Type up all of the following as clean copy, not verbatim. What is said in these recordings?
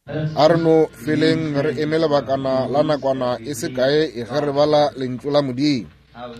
A re no feleng re eme lebakana la nakwana e se kae ge re bala Lentšu la Modimo.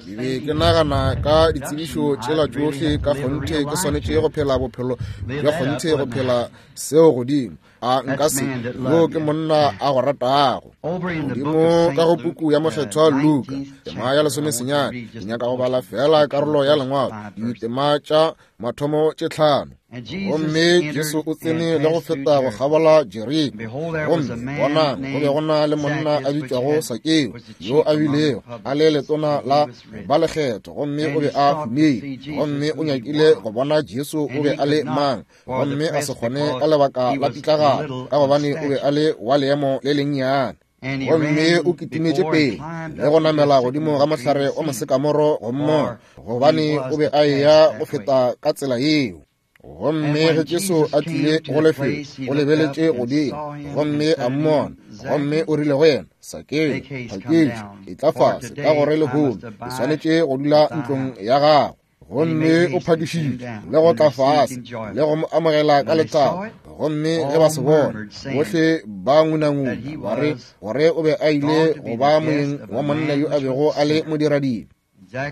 Ke be ke nagana ka ditsebišo tšela tšohle ka kgonthe ke swanetše go phela bophelo bja kgonthe go phela seo godimo. A nka se, yo ke monna a go ratago. Godimo ka go puku ya Mokgethwa Luka, tema ya lesomesenyane, ke nyaka go bala feela karolo ya Lengwalo, ditema tša mathomo tše tlhano. Gomme Jesu o tsene le go feta go kgabola Jeriko. Gomme bonang, go be go na le monna a bitšwago Sakeo, yo a bilego a le letona la ba lekgetho, gomme o be a humile. Gomme o nyakile go bona Jesu o be a le mang, gomme a se kgone ka lebaka la pitlagalo, ka gobane o be a le wa leemo le lennyane. Gomme o kitimetše pele le go namela godimo ga mohlare wa mosekamoro go mmona, gobane o be a eya go feta ka tsela yeo. Gomme ge Jesu a tlile go lefelo, o lebeletše godimo gomme a mmona, gomme o rile go yena, Sakeo, phaketše, etla fase, ka gore lehono ke swanetše go dula ntlong ya gago. Gomme o phakišitše le go tla fase le go mo amogela ka lethabo. Gomme ge ba se bona, bohle ba ngunanguna ba re gore o be a ile go ba moeng wa monna yo a bego a le modiradibe.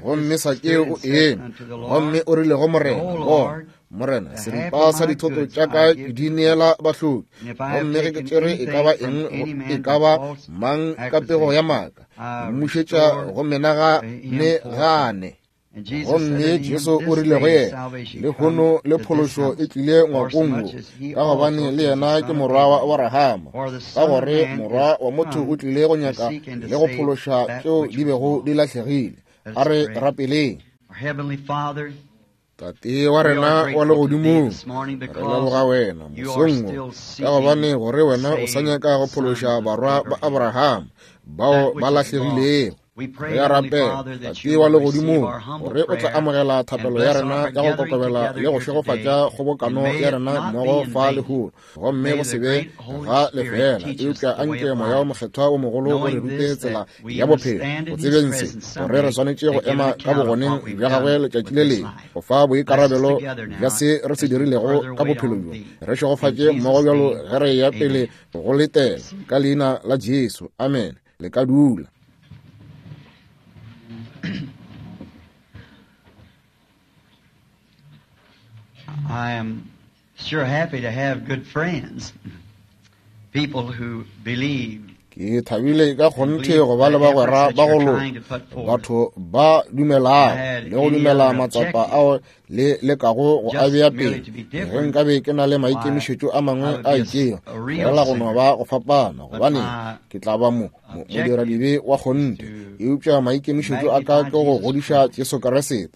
Gomme Sakeo o eme gomme o rile go Morena, Bona, Morena, seripa sa dithoto tša ka ke di neela bahloki, gomme ge ke tšere e ka ba eng e ka ba mang ka pego ya maaka, ke mmušetša go menagane gane. Gomme Jesu o rile go yena, Lehono le phološo e tlile ngwakong wo, ka gobane le yena ke morwa wa Aborahama, ka gore morwa wa motho o tlile go nyaka le go phološa tšeo di bego di lahlegile. A re rapeleng. Tate wa rena wa legodimong, re leboga wena mosong wo, ka gobane gore wena o sa nyaka go phološa barwa ba Aborahama bao ba lahlegilego. Re a rapela, Tate wa legodimong, gore o tla amogela thapelo ya rena ya go kokobela le go šegofatša kgobokano ya rena mmogo fa lehono, gomme go se be ga lefeela, eupša a nke Moya wo Mokgethwa wo mogolo o re rute tsela ya bophelo, go tsebeng se, gore re swanetše go ema ka bogoneng bja gagwe letšatši le lengwe, go fa boikarabelo bja se re se dirilego ka bophelo bjo. Re šegofatše mmogo bjalo ge re eya pele go letela, ka leina la Jesu. Amene. Le ka dula. I am sure happy to have good friends, people who believe. Ke thabile ka kgonthe go ba le bagwera ba go loka, batho ba dumelago le go dumela matsapa ao le lekago go a bea pele. Ge nkabe ke na le maikemišetšo a mangwe a itšego, fela go no ba go fapana, gobane ke tla ba mo modiradibe wa kgonthe. Eupša maikemišetšo a ka ke go godiša Jesu Kriste.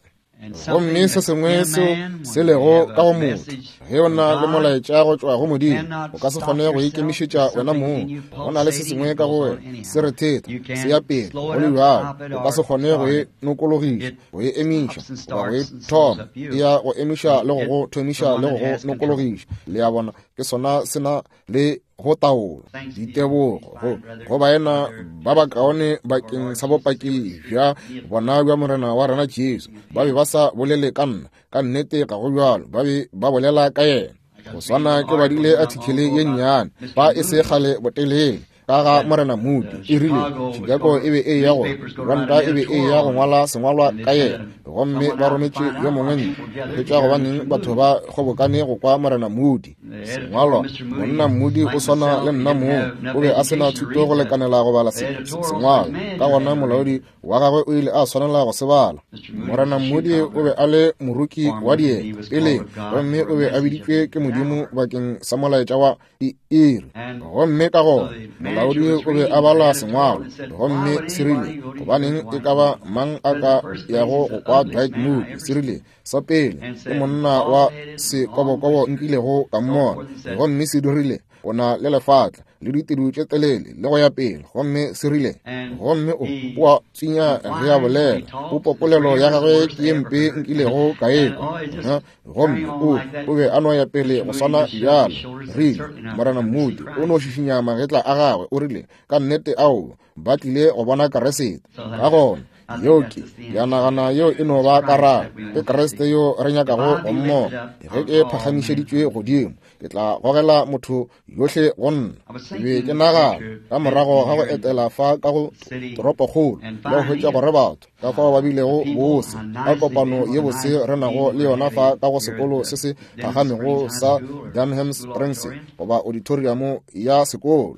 Gomme se sengwe seo se lego ka go motho, ge o na le molaetša go tšwa go Modimo, o ka se kgone go ikemišetša wena mong. Go na le se sengwe ka go wena se re theta, se ya pele, go le bjalo. O ka se kgone go e nokologiša, go e emiša, goba go e thoma. E ya go emiša le go go thomiša le go go nokologiša. Le a bona, ke sona se na le go taolo. Ditebogo go, go baena ba bakaone bakeng sa bopaki bja bona bja Morena wa rena Jesu. Ba be ba sa bolele ka nna, ka nnete ga go bjalo, ba be ba bolela ka yena. Go swana ke badile athikele ye nnyane fa e se kgale botelele ka ga Morena Moody. E rile Chicago e be e ya go ranta, e be e ya go ngwala sengwalwa ka yena, gomme ba rometše yo mongwe ntle hwetša gobaneng batho ba kgobokane go kwa Morena Moody sengwalwa. Monna Moody o swana le nna mong, o be a se na thuto go lekanela go bala sengwalwa, ka gona molaodi wa gagwe o ile a swanela go se bala. Morena Moody o be a le moruki wa dieta peleng, gomme o be a biditšwe ke Modimo bakeng sa molaetša wa diiri. Gomme ka gona molaodi o be a bala sengwalo, gomme se rile, gobaneng e ka ba mang a ka yago go kwa Dwight Moody? Se rile, sa pele ke monna wa sekobokobo nkilego ka mmona, gomme se dirile o na le lefatla le ditedu tše telele le go ya pele, gomme se rile, gomme o o a tswinya ge a bolela, popopolelo ya gagwe ke ye mpe nkilego ka e kwa, gomme o o be a no ya pele go swana bjalo. Rile, Morena Moody o no šišinya magetla a gagwe, o rile, ka nnete ao ba tlile go bona Keresete. Ka gona Yeo ke, ke a nagana yeo e no ba karabo. Ke Kriste yo re nyakago go mmona. Ge ke phagamišeditšwe godimo, ke tla gogela motho yohle go nna. Ke be ke nagana ka morago ga go etela fa ka go toropokgolo le go hwetša gore batho ka fao ba bilego bose ka kopano ye bose re nago le yona fa ka go sekolo se se phagamego sa Dunham Springs goba auditorium ya sekolo.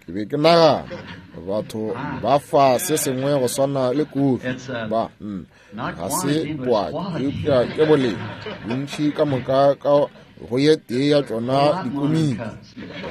Ke be ke nagana batho ba fa se sengwe go swana le kofi ba ga se boaki eupša ke boleng bontši ka moka ka go ye tee ya tšona dikomiki.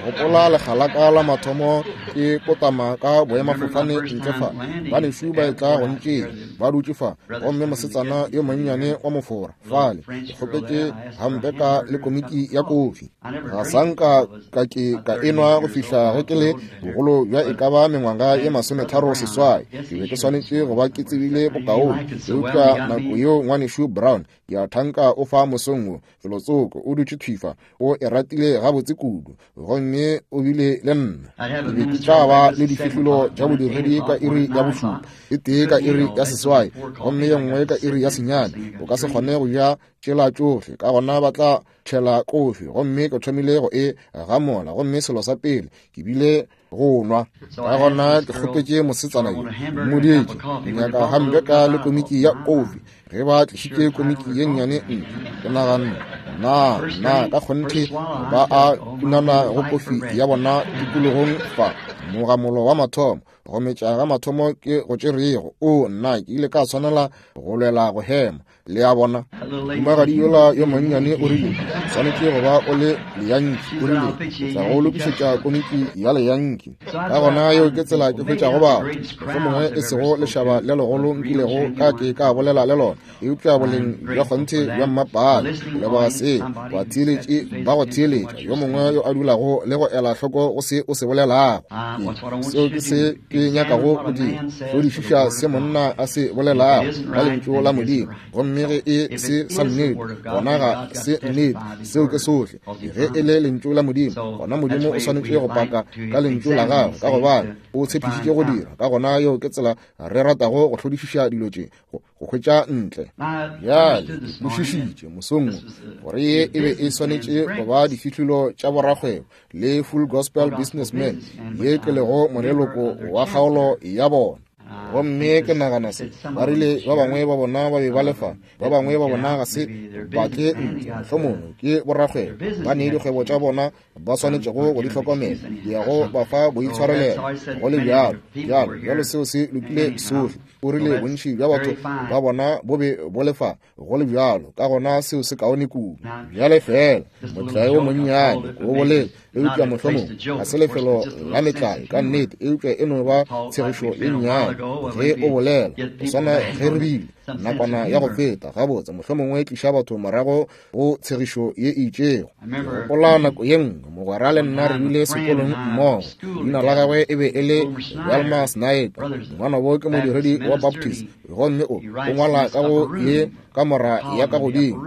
Gopola lekgalaka la mathomo ke kotama ka boemafofane ntle fa, banešu ba etla go ntšea ba dutše fa, gomme mosetsana yo monnyane wa mofora fale, ke kgopetše hampeka le komiki ya kofi. Ga sa nka ka ke ka enwa go fihla ge ke le bogolo bja e ka ba mengwaga ye 36. Ke be ke swanetše go ba ke tsebile bokaone, eupša nako yeo ngwanešu Brown, ke a thanka o fa mosong wo, felotsoko, o dutše thwi fa, o e ratile gabotse kudu, gomme o bile le nna. Ke be ke tla ba le difihlolo tša bodiredi ka iri ya bošupa, e tee ka iri ya 8, gomme ye nngwe ka iri ya 9. O ka se kgone go ja tšela tšohle, ka gona ba tla tšhela kofi, gomme ke thomile go e gamola, gomme selo sa pele ke bile go nwa. Ka gona ke kgopetše mosetsana yo, mmoditše, ke nyaka hampeka le komiki ya kofi. Ge ba tlišitše komiki ye nnyane ntle, ke naganne, na, na ka kgonthe ba a kunana go kofi ya bona tikologong fa, mogamolo wa mathomo, go metša ga mathomo ke go tšerego. O, nna, ke ile ka swanela go lwela go hema. Le a bona, mohumagadi yola yo monnyane o rile, o swanetše go ba o le leyanki. O rile, ke tla go lokišetša komiki ya leyanki. Ka gona yeo ke tsela ke hwetšago batho, mohlomongwe e sego lešaba le legolo nkilego ka ke ka bolela le lona, eupša boleng bja kgonthe bja mmapaale. Ke leboga seo, batheeletši ba go theeletša, yo mongwe yo a dulago le go ela hloko go se o se bolelago. Ke, seo ke se ke nyakago go dira, hlodišiša se monna a se bolelago ka lentšu la Modimo, gomme ge e se sa nnete, gona ga se nnete. Seo ke sohle. Ge e le lentšu la Modimo, gona Modimo o swanetše go paka ka lentšu la gagwe, ka gobane o tshepišitše go dira. Ka gona yeo ke tsela re ratago go hlodišiša dilo tše, go hwetša ntle. Bjale, ke kwešišitše mosong wo gore ye e be e swanetše go ba difihlolo tša borakgwebo le Full Gospel Businessmen, ye ke lego moleloko wa kgaolo ya bona. Gomme ke nagana se, ba rile ba bangwe ba bona ba be ba le fa, ba bangwe ba bona ga se ba tle ntle, mohlomongwe ke borakgwebo, ba ne dikgwebo tša bona ba swanetšego go di hlokomela, di ya go ba fa boitshwarelelo, go le bjalo, bjalo, bjalo seo se lokile sohle. O rile bontši bja batho ba bona bo be bo le fa, go le bjalo, ka gona seo se kaone kudu. Bjale feela motlae wo monnyane o bolela, eupša mohlomongwe ga se lefelo la metlae ka nnete, eupša e no ba tshegišo ye nnyane ge o bolela, go swana ge re bile nakwana ya go feta. Gabotse, mohlomongwe tliša batho morago go tshegišo ye e itšego. Ke gopola nako ye nngwe mogwera le nna re bile sekolong mmogo. Leina la gagwe e be e le Velma Sniper. Ngwanabo ke modiredi wa Baptist, gomme o o ngwala ka go ye kamora ya ka godimo,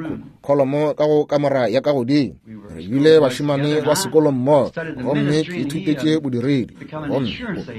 kholomo ka go kamora ya ka godimo. Re bile bašemane ba sekolo mmogo, gomme ke ithutetše bodiredi, gomme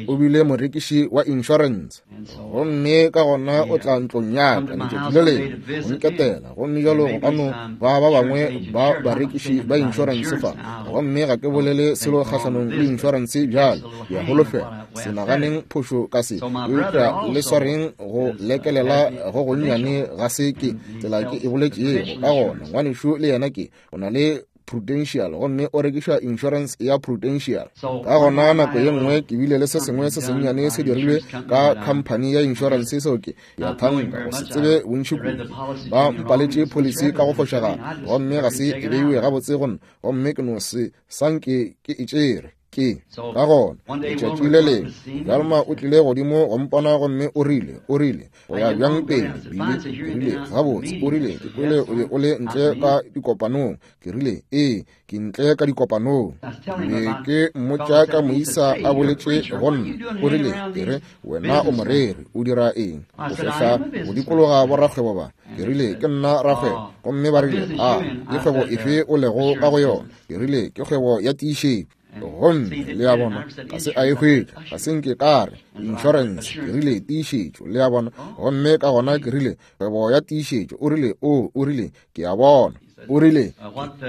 o bile morekiši wa insurance. Gomme ka gona o tla ntlong ya ka letšatši le lengwe go nketela, gomme jalo go ka no ba ba bangwe ba barekiši ba insurance fa, gomme ga ke bolele selo kgahlanong le insurance bjale, ke a holofela se naganeng phošo ka se, eupša le swareng go lekelela go gonnyane ga se ke tsela ke e boletšego. Ka gona ngwanešu le yena ke o na le Prudential, gomme o rekiša insurance ya Prudential. Ka gona nako ye nngwe ke bile le se sengwe se sennyane se dirilwe ka khamphani ya insurance, seo ke ya thanka go se tsebe bontši kudu. Ba mpaletše policy ka go fošagala, gomme ga se e beiwe gabotse go nna, gomme ke no se sanke ke e tšere. Ke ka gona letšatši le lengwe Velma o tlile godimo go mpona, gomme o rile, o rile, o ya bjang pele, Billy? Ke rile, gabotse, o rile, ke kwele o be o le ntle ka dikopanong. Ke rile, ee, ke ntle ka dikopanong. Ke be ke mmotša ka moisa a boletše go nna. O rile, ke re, wena o moreri, o dira eng? O fehla go dikologa borakgwebo ba. Ke rile, ke nna rakgwebo. Gomme ba rile, a ke kgwebo efe o lego ka go yona? Ke rile, ke kgwebo ya tiišetšo. Gomme le a bona, ga se a e hwetša, ga se nke ka re insurance, ke rile tiišetšo, le a bona. Gomme ka gona ke rile kgwebo ya tiišetšo. O rile, o, o rile, ke a bona. O rile,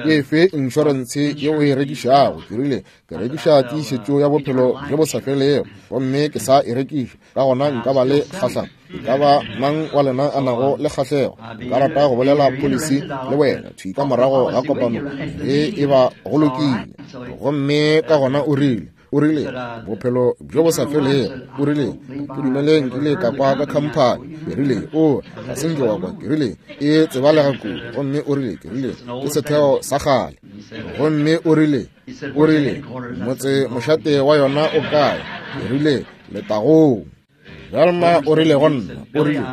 ke efe insurance ye o e rekišago? Ke rile, ke rekiša tiišetšo ya bophelo bjo bo sa felego, gomme ke sa e rekiša. Ka gona nka ba le kgahlano. E ka ba mang wa lena a nago le kgahlego, nka rata go bolela policy le wena thwi ka morago ga kopano, ge e ba go lokile. Gomme ka gona o rile, o rile, bophelo bjo bo sa felego. O rile, ke dumele nkile ka kwa ka khamphani. Ke rile, o ga se nke wa kwa. Ke rile, e tsebalega kudu. Gomme o rile, ke rile, ke setheo sa kgale. Gomme o rile, o rile, motse mošate wa yona o kae? Ke rile, letagong. Velma o rile go nna, o rile,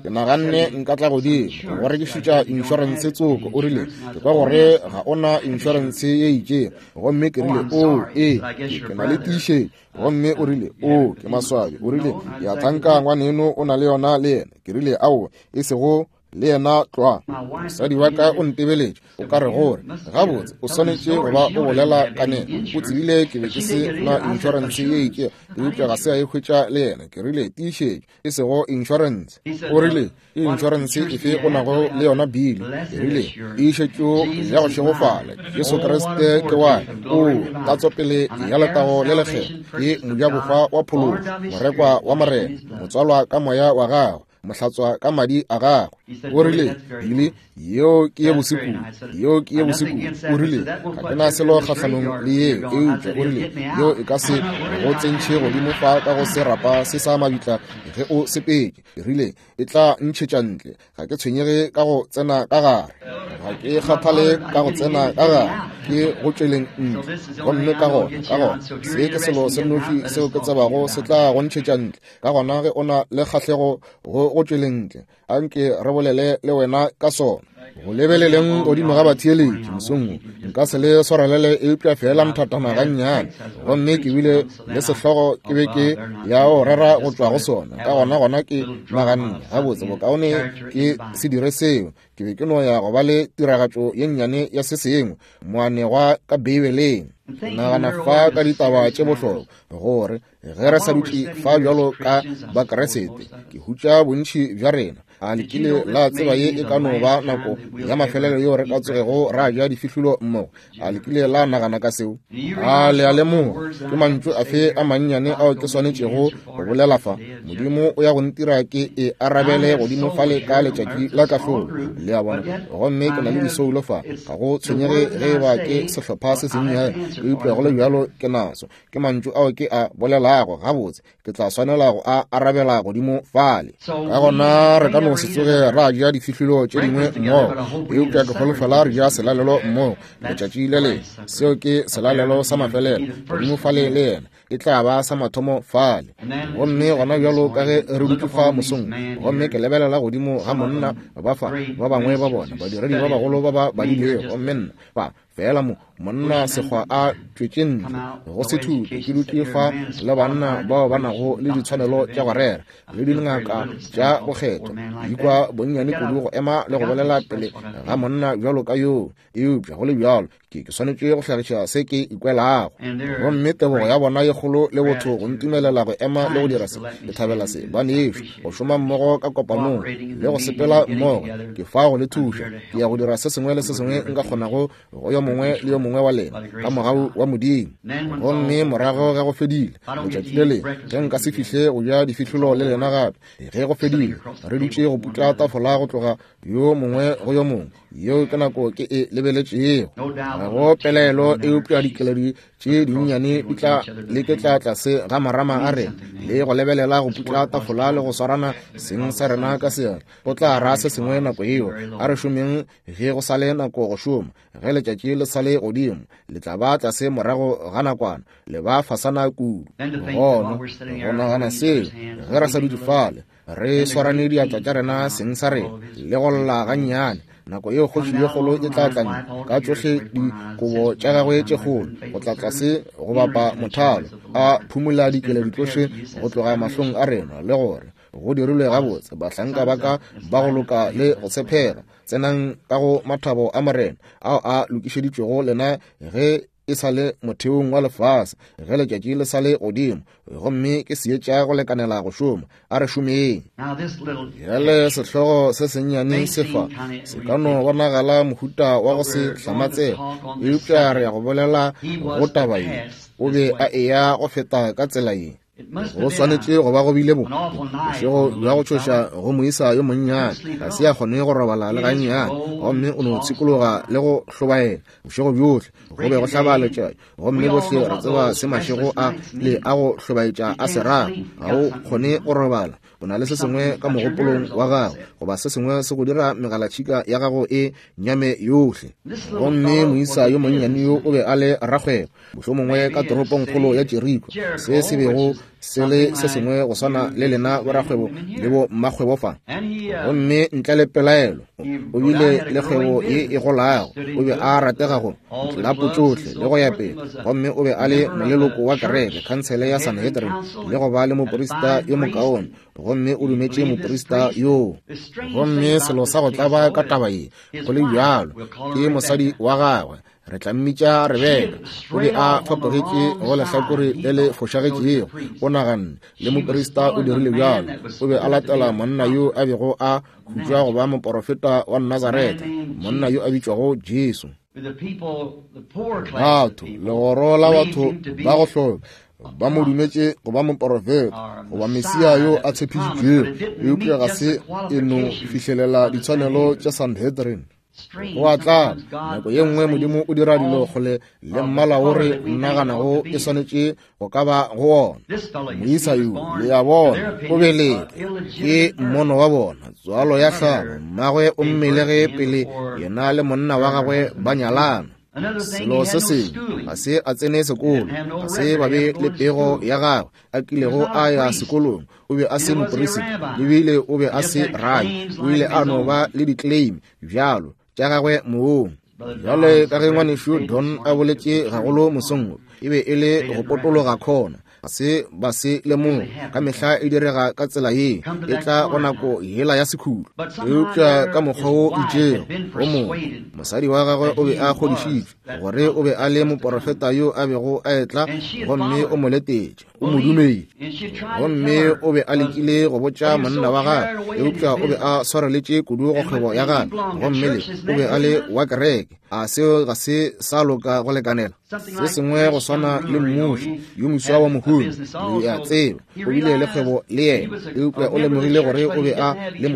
ke naganne nka tla godimo go rekišetša inšorense tsoko. O rile, ke kwa gore ga o na inšorense ye itšego. Gomme ke rile, o, ee, ke na le tiišetšo. Gomme o rile, o, ke maswabi. O rile, ke a thanka ngwaneno o na le yona le yena. Ke rile, aowa, e sego le yena tlwa. Mosadi wa ka o ntebeletše, o ka re gore gabotse o swanetše go ba o bolela ka nena. O tsebile ke be ke se na inšorense ye itšego, eupša ga se a e hwetša le yena. Ke rile, tiišetšo, e sego inšorense. O rile, ke inšorense efe o nago le yona, Billy? Ke rile, tiišetšo ya go šegofala, Jesu Kriste ke wa o tatsopele ya letago le lekgetho, ke mojabohwa wa phološo, morekwa wa Morena, motswalwa ka moya wa gagwe, mohlatswa ka madi a gagwe. O rile, Billy, yeo ke ye bose kudu, yeo ke ye bose kudu. O rile, ga ke na selo kgahlanong le yeo, eupša o rile, yeo e ka se go tsentšhe godimo fa ka go serapa se sa mabitla ge o sepetše. Ke rile, e tla ntšhetša ntle. Ga ke tshwenyege ka go tsena ka gare, ga ke kgathale ka go tsena ka gare, ke go tšweleng ntle. Gomme ka gona, ka gona, se ke selo se nnoši seo ke tsebago se tla go ntšhetša ntle. Ka gona ge o na le kgahlego go go tšweleng ntle, anke re bolele le wena ka sona. Go lebeleleng godimo ga batheeletši mosong wo, nka se le swarelele eupša feela nthatana gannyane. Gomme ke bile le sehlogo ke be ke ya go rera go tšwa go sona. Ka gona gona ke naganne, gabotse, bokaone ke se dire seo. Ke be ke no ya go ba le tiragatšo ye nnyane ya se sengwe, moanegwa ka Beibeleng. Nagana fa ka ditaba tše bohlokwa, gore ge re sa dutše fa bjalo ka Bakriste, ke hutša bontši bja rena. A le kile la tseba ye e ka no ba nako ya mafelelo yeo re ka tsogego ra ja difihlolo mmogo? A le kile la nagana ka seo? A le a lemoga ke mantšu afe a mannyane ao ke swanetšego go bolela fa? Modimo o ya go ntira ke e arabele godimo fale ka letšatši la kahlolo. Le a bona? Gomme ke na le disoulo fa, ga go tshwenyege ge e ba ke sehlopha se sennyane, eupša go le bjalo ke naso. Ke mantšu ao ke a bolelago, gabotse ke tla swanela go a arabela godimo fale. Ka gona re ka no se tsoge ra ja difihlolo tše dingwe mmogo, eupša ke holofela re ja selalelo mmogo letšatši le lengwe. Seo ke selalelo sa mafelelo godimo fale le yena, e tla ba sa mathomo fale. Gomme gona bjalo ka ge re dutše fa mosong, gomme ke lebelela godimo ga monna ba fa, ba bangwe ba bona badiredi ba bagolo ba ba badilego, gomme nna fa Fela mo, monna sekgwa a tšwetše ntle go se thute, ke dutše fa le banna bao ba nago le ditshwanelo tša go rera le dingaka tša go kgethwa. Ke ikwa bonnyane kudu go ema le go bolela pele ga monna bjalo ka yoo, eupša go le bjalo ke ke swanetše go hlagiša se ke ikwelago. Gomme tebogo ya bona ye kgolo le botho go ntumelela go ema le go dira se, ke thabela se, banešu, go šoma mmogo ka kopanong le go sepela mmogo. Ke fa go le thuša. Ke ya go dira se sengwe le se sengwe nka kgonago go yo mongwe le yo mongwe wa lena ka mogau wa Modimo. Gomme morago ge go fedile letšatši le lengwe, ge nka se fihle go ja difihlolo le lena gape, ge go fedile re dutše go putla tafola go tloga yo mongwe go yo mongwe, yeo ke nako ke e lebeletšego. Ga go pelaelo eupša dikeledi tše dinnyane di tla leketla tlase ga marama a rena le go lebelela go putla tafola le go swarana seng sa rena ka seatla. Go tla ra se sengwe nako yeo. A re šomeng ge go sa le nako go šoma, ge letšatši le sa le godimo, le tla ba tlase morago ga nakwana, le ba fasana kudu. Gona go nagana seo, ge re sa dutše fale, re swarane diatla tša rena seng sa rena le go lla gannyane, nako yeo kgoši ye kgolo e tla tla ka tšohle dikobo tša gagwe tše kgolo go tla tlase go bapa mothalo, a phumola dikeledi tšohle go tloga mahlong a rena, le gore go dirilwe gabotse, bahlanka ba ka ba go loka le go tshepega, tsenang ka go mathabo a Morena ao a lokišeditšwego lena ge. e sa le motheong wa lefase, ge letšatši le sa le godimo, gomme ke seetša go lekanela go šoma. A re šomeng. Bjale sehlogo se sennyane se fa se ka no bonagala mohuta wa go se hlamatsege, eupša re ya go bolela go taba ye. O be a eya go feta ka tsela ye. Go swanetše go ba go bile bo bošego bja go tšhoša go moisa yo monnyane, ga se a kgone go robala le gannyane, gomme o no tshikologa le go hlobaela bošego bjohle. Go be go hlaba letšatši, gomme bohle re tseba se mašego a le a go hlobaetša a se rago. Ga o kgone go robala, o na le se sengwe ka mogopolong wa gago, goba se sengwe se go dira megalatšhika ya gago e nyame yohle. Gomme moisa yo monnyane yo o be a le rakgwebo, mohlomongwe ka toropongkgolo ya Jeriko, se se bego se le se sengwe go swana le lena borakgwebo le bo mmakgwebo fa. Gomme ntle le pelaelo o bile le kgwebo ye e golago, o be a ratega go ditlelapo tšohle le go ya pele, gomme o be a le moleloko wa kereke, khansele ya Sanhedrin, le go ba le moprista yo mokaone, gomme o dumetše moprista yoo. Gomme selo sa go tlaba ka taba ye go le bjalo ke mosadi wa gagwe, re tla mmitša Rebeka, o be a fapogetše go lehlakore le le fošagetšego. O naganne le moprista o dirile bjalo, o be a latela monna yo a bego a hutšwa go ba moporofeta wa Nazaretha, monna yo a bitšwago Jesu. Batho, legoro la batho ba go hloka, ba mo dumetše go ba moporofeta goba Mesia yo a tshepišitšwego, eupša ga se e no fihlelela ditshwanelo tša Sanhedrin. Go a tlala, nako ye nngwe Modimo o dira dilo kgole le mmala wo re naganago e swanetše go ka ba go wona. Moisa yo, le a bona, o belege ke mmono wa bona, tswalo ya tlhago, mmagwe o mmelege pele yena le monna wa gagwe ba nyalana. Selo se sengwe, ga se a tsene sekolo, ga se ba be le pego ya gagwe a kilego a ya sekolong. O be a se moperisita, ebile o be a se rabi, o ile a no ba le di-claim bjalo tša gagwe mong. Bjale ka ge ngwanešu Don a boletše gagolo mosong wo, e be e le go potologa khona, ga se ba se lemoga. Ka mehla e direga ka tsela ye, e tla go nako yela ya sekhutlo. Eupša ka mokgwa wo itšego o mongwe, mosadi wa gagwe o be a kgodišitšwe gore o be a le moporofeta yo a bego a etla, gomme o mo letetše, o mo dumetše. Gomme o be a lekile go botša monna wa gagwe, eupša o be a swareletše kudu go kgwebo ya gagwe, gomme le o be a le wa kereke. A seo ga se sa loka go lekanela? Se sengwe go swana le mmuši yo moswa wa mohumi, le a tseba, o bile le kgwebo le yena, eupša o lemogile gore o be a le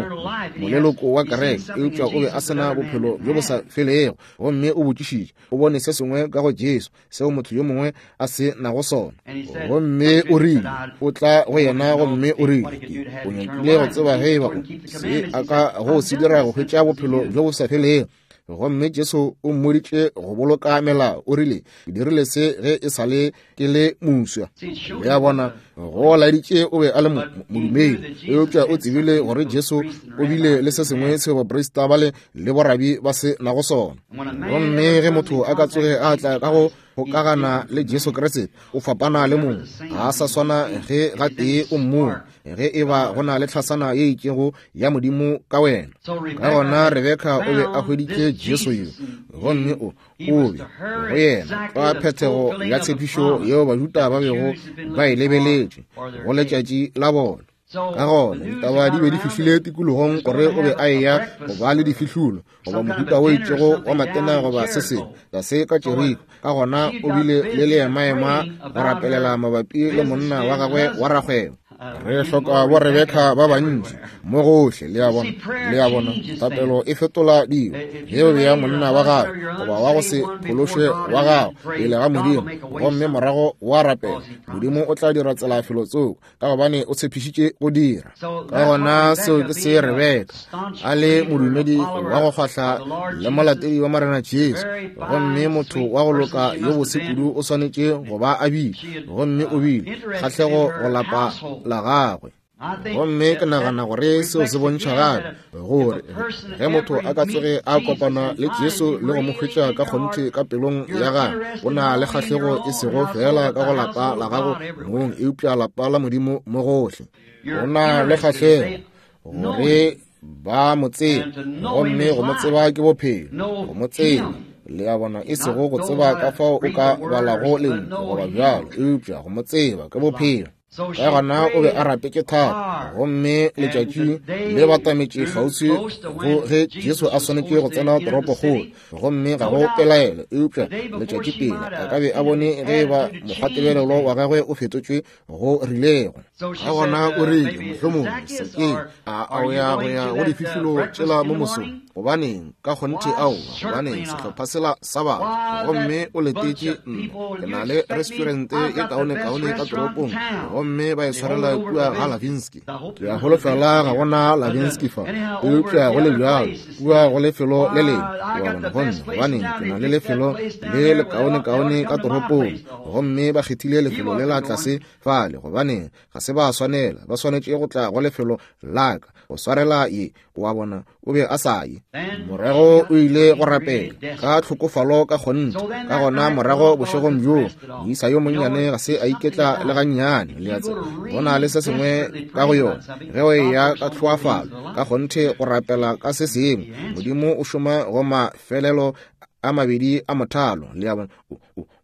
moleloko wa kereke, eupša o be a se na bophelo bjo bo sa felego. Gomme o botšišitše, o bone se sengwe ka go Jesu seo motho yo mongwe a se nago sona. Gomme o rile, o tla go yena, gomme o rile, o nyakile go tseba ge eba se a ka go se dira go hwetša bophelo bjo bo sa felego. Gomme Jesu o mmoditše go boloka melao. O rile, ke dirile se ge e sa le ke le moswa. Le a bona, go laeditše o be a le modumedi, eupša o tsebile gore Jesu o bile le se sengwe seo baprista bale le borabi ba se nago sona. Gomme ge motho a ka tsoge a tla ka go kgokagana le Jesu Kriste, o fapana le mongwe, ga a sa swana ge gatee o mmone, ge e ba go na le tlhasana ye itšego ya Modimo ka wena. Ka gona Rebeka o be a hweditše Jesu yo, gomme o o be go yena ka phethego ya tshepišo yeo Bajuda ba bego ba e lebeletše go letšatši la bona. Ka gona ditaba di be di fihlile tikologong gore o be a eya go ba le difihlulo goba mohuta o itšego wa matena goba se sengwe ga se ka Jeriko. Ka gona o bile le leemaema go rapelela mabapi le monna wa gagwe wa rakgwebo. Re hloka bo Rebeka ba bantši mo gohle, le a bona, le a bona. Thapelo e fetola dilo. Ge o bea monna wa gago goba wa go se phološwe wa gago pele ga Modimo, gomme morago wa rapela, Modimo o tla dira tsela felotsoko, ka gobane o tshepišitše go dira. Ka gona seo ke se Rebeka a le modumedi wa go kgwahla le molatedi wa Morena Jesu, gomme motho wa go loka yo bose kudu o swanetše go ba a bile, gomme o bile kgahlego go lapa la gagwe. Gomme ke nagana gore seo se bontšha gape gore ge motho a ka tsoge a kopana le Jesu le go mo hwetša ka kgonthe ka pelong ya gagwe, o na le kgahlego e sego feela ka go lapa la gago mong, eupša lapa la Modimo mo gohle. O na le kgahlego gore ba mo tsebe, gomme go mo tseba ke bophelo, go mo tseba. Le a bona, e sego go tseba ka fao o ka balago lentšu goba bjalo, eupša go mo tseba ke bophelo. Ka gona o be a rapetše thata, gomme letšatši le batametše kgauswi go ge Jesu a swanetše go tsena toropokgolo, gomme ga go pelaelo eupša letšatši pele a ka be a bone ge e ba mokgwatebelelo wa gagwe o fetotšwe go rilego. Ka gona o rile, mohlomongwe, Sakeo, a o ya go ya go difihlolo tšela mo mosong? Gobaneng, ka kgonthe aowa, gobaneng, sehlopha sela sa batho, gomme o letetše nna. Ke na le restaurante ye kaonekaone ka toropong, gomme ba e swarela kua ga Lavinsky. Ke a holofela ga gona Lavinsky fa, eupša go le bjalo, kua go lefelo le lengwe, wa bona, gomme gobaneng, ke na le lefelo le lekaonekaone ka toropong, gomme ba kgethile lefelo le la tlase fale. Gobaneng, ga se ba swanela, ba swanetše go tla go lefelo la ka go swarela ye. Wa bona, o be a sa ye. Morago o ile go rapela ka tlhokofalo ka kgonthe. Ka gona morago bošegong bjoo, moisa yo monnyane ga se a iketla le gannyane. Le a tseba, go na le se sengwe ka go yona ge o eya ka tlhoafalo ka kgonthe go rapela ka se sengwe. Modimo o šoma go mafelelo a mabedi a mothalo. Le a bona,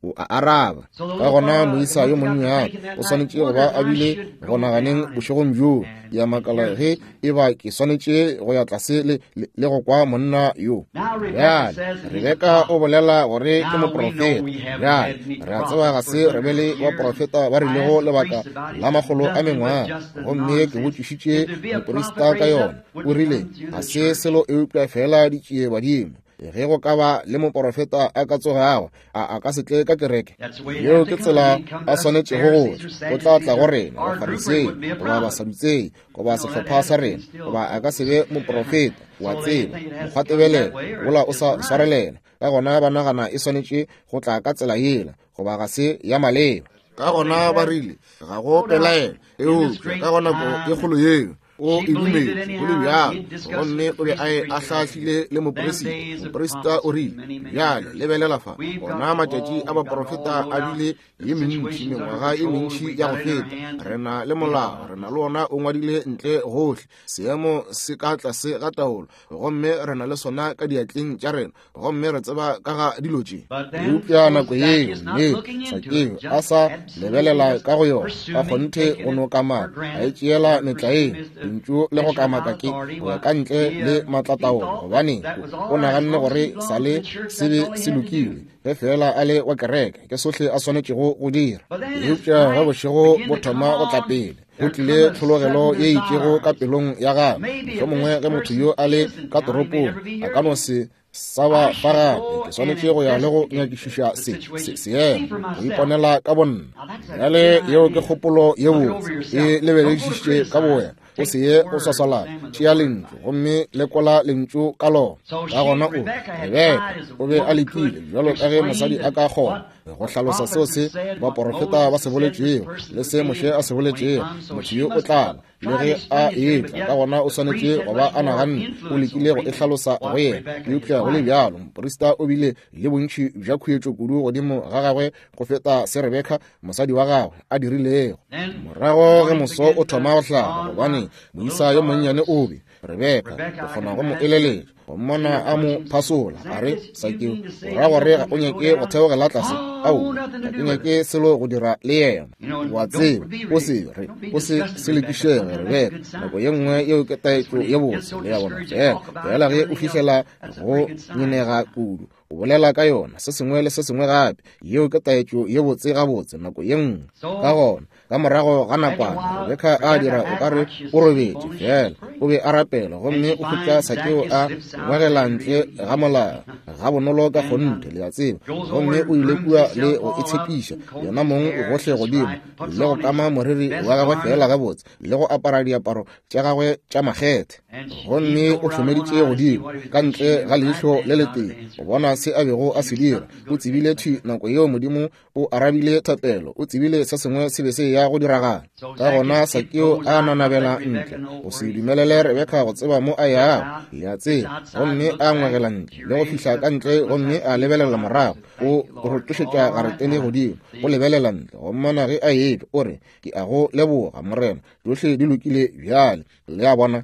o a araba. Ka gona moisa yo monnyane o swanetše go ba a bile go naganeng bošegong bjoo, ya makala ge e ba ke swanetše go ya tlase le, le, le go kwa monna yo. Bjale Rebeka o bolela gore ke moprofeta. Bjale re a tseba ga se re be le baprofeta ba rilego lebaka la makgolo a mengwaga, gomme ke botšišitše moprista ka yona, o rile ga se selo eupša fela ditšie badimo. Ge go ka ba le moporofeta a ka tsogago, a ka se tle ka kereke. Yeo ke tsela a swanetšego go tla. O tla tla go rena, Bafarisei, goba Basadutsei, goba sehlopha sa rena, goba a ka se be moporofeta, wa tseba, mokgwatebelelo wola o sa swarelela. Ka gona ba nagana e swanetše go tla ka tsela yela, goba ga se ya maleba. Ka gona ba rile, ga go pelaelo, eupša ka go nako e kgolo yeo, o e dumetše go le bjalo, gomme o be a e ahlaahlile le moperisita. Moperisita o rile, bjale lebelela fa, ona matšatši a baprofeta a bile ye mentši, mengwaga ye mentši ya go feta. Re na le molao, re na le ona o ngwadile ntle gohle, seemo se ka tlase ga taolo, gomme re na le sona ka diatleng tša rena, gomme re tseba ka ga dilo tše. Eupša nako yeo mme Sakeo a sa lebelela ka go yona, ka kgonthe go no kamaka, a e tšeela metlaeng, lentšu le go kamaka ke go ya ka ntle le maatlataolo, gobane o naganne gore sa le se be se lokile ge feela a le wa kereke, ke sohle a swanetšego go dira. Eupša ge bošego bo thoma go tla pele, go tlile tlhologelo ye itšego ka pelong ya gagwe. Mohlomongwe ge motho yo a le ka toropong, a ka no se sa ba fa gape. Ke swanetše go ya le go nyakišiša se, se, seemo, go iponela ka bonna. Bjale yeo ke kgopolo ye botse, e lebeledišiše ka bowena, o se ye o swaswalana. Tšea lentšu gomme lekola lentšu ka lona. Ka gona o Rebeka o be a lekile bjalo ka ge mosadi a ka kgona go hlalosa seo se baporofeta ba se boletšego le se Moshe a se boletšego. Motho yo o tla ba le ge a etla, ka gona o swanetše go ba a naganne, o lekile go e hlalosa go yena. Eupša go le bjalo moprista o bile le bontši bja khuetšo kudu godimo ga gagwe go feta se Rebeka mosadi wa gagwe a dirilego. Morago ge moso o thoma go hlaba, gobane moisa yo monnyane o be Rebeka o kgona go mo eleletša, go mmona a mo phasola, a re, Sakeo, o ra gore ga o nyake go theogela tlase? Aowa, ga ke nyake selo go dira le yena. Wa tseba, o se re, o se selekišege, Rebeka. Nako ye nngwe yeo ke taetšo ye botse, le ya bona, fela, fela ge o fihlela go nyenega kudu, o bolela ka yona, se sengwe le se sengwe gape. Yeo ke taetšo ye botse gabotse nako ye nngwe. Ka gona, ka morago ga nakwana, Rebeka a dira o ka re o robetše, fela o be a rapela, gomme o hwetša Sakeo a ngwegela ntle ga molao ga bonolo ka kgonthe, le a tseba, gomme o ile kua le go itshepiša yena mong gohle godimo, le go kama moriri wa gagwe feela gabotse, le go apara diaparo tša gagwe tša makgethe, gomme o hlomeditše godimo ka ntle ga leihlo le letee go bona se a bego a se dira. O tsebile thwi nako yeo Modimo o arabile thapelo, o tsebile se sengwe se be se ya go diragala. Ka gona Sakeo a nanabela ntle go se dumelele Rebeka go tseba mo a yago, le a tseba, gomme a ngwegela ntle le go fihla ka ntle, gomme a lebelela morago, o rotošetša garetene godimo, o lebelela ntle go mmona ge a etšwa, o re, Ke a go leboga, Morena, tšohle di lokile bjale. Le a bona?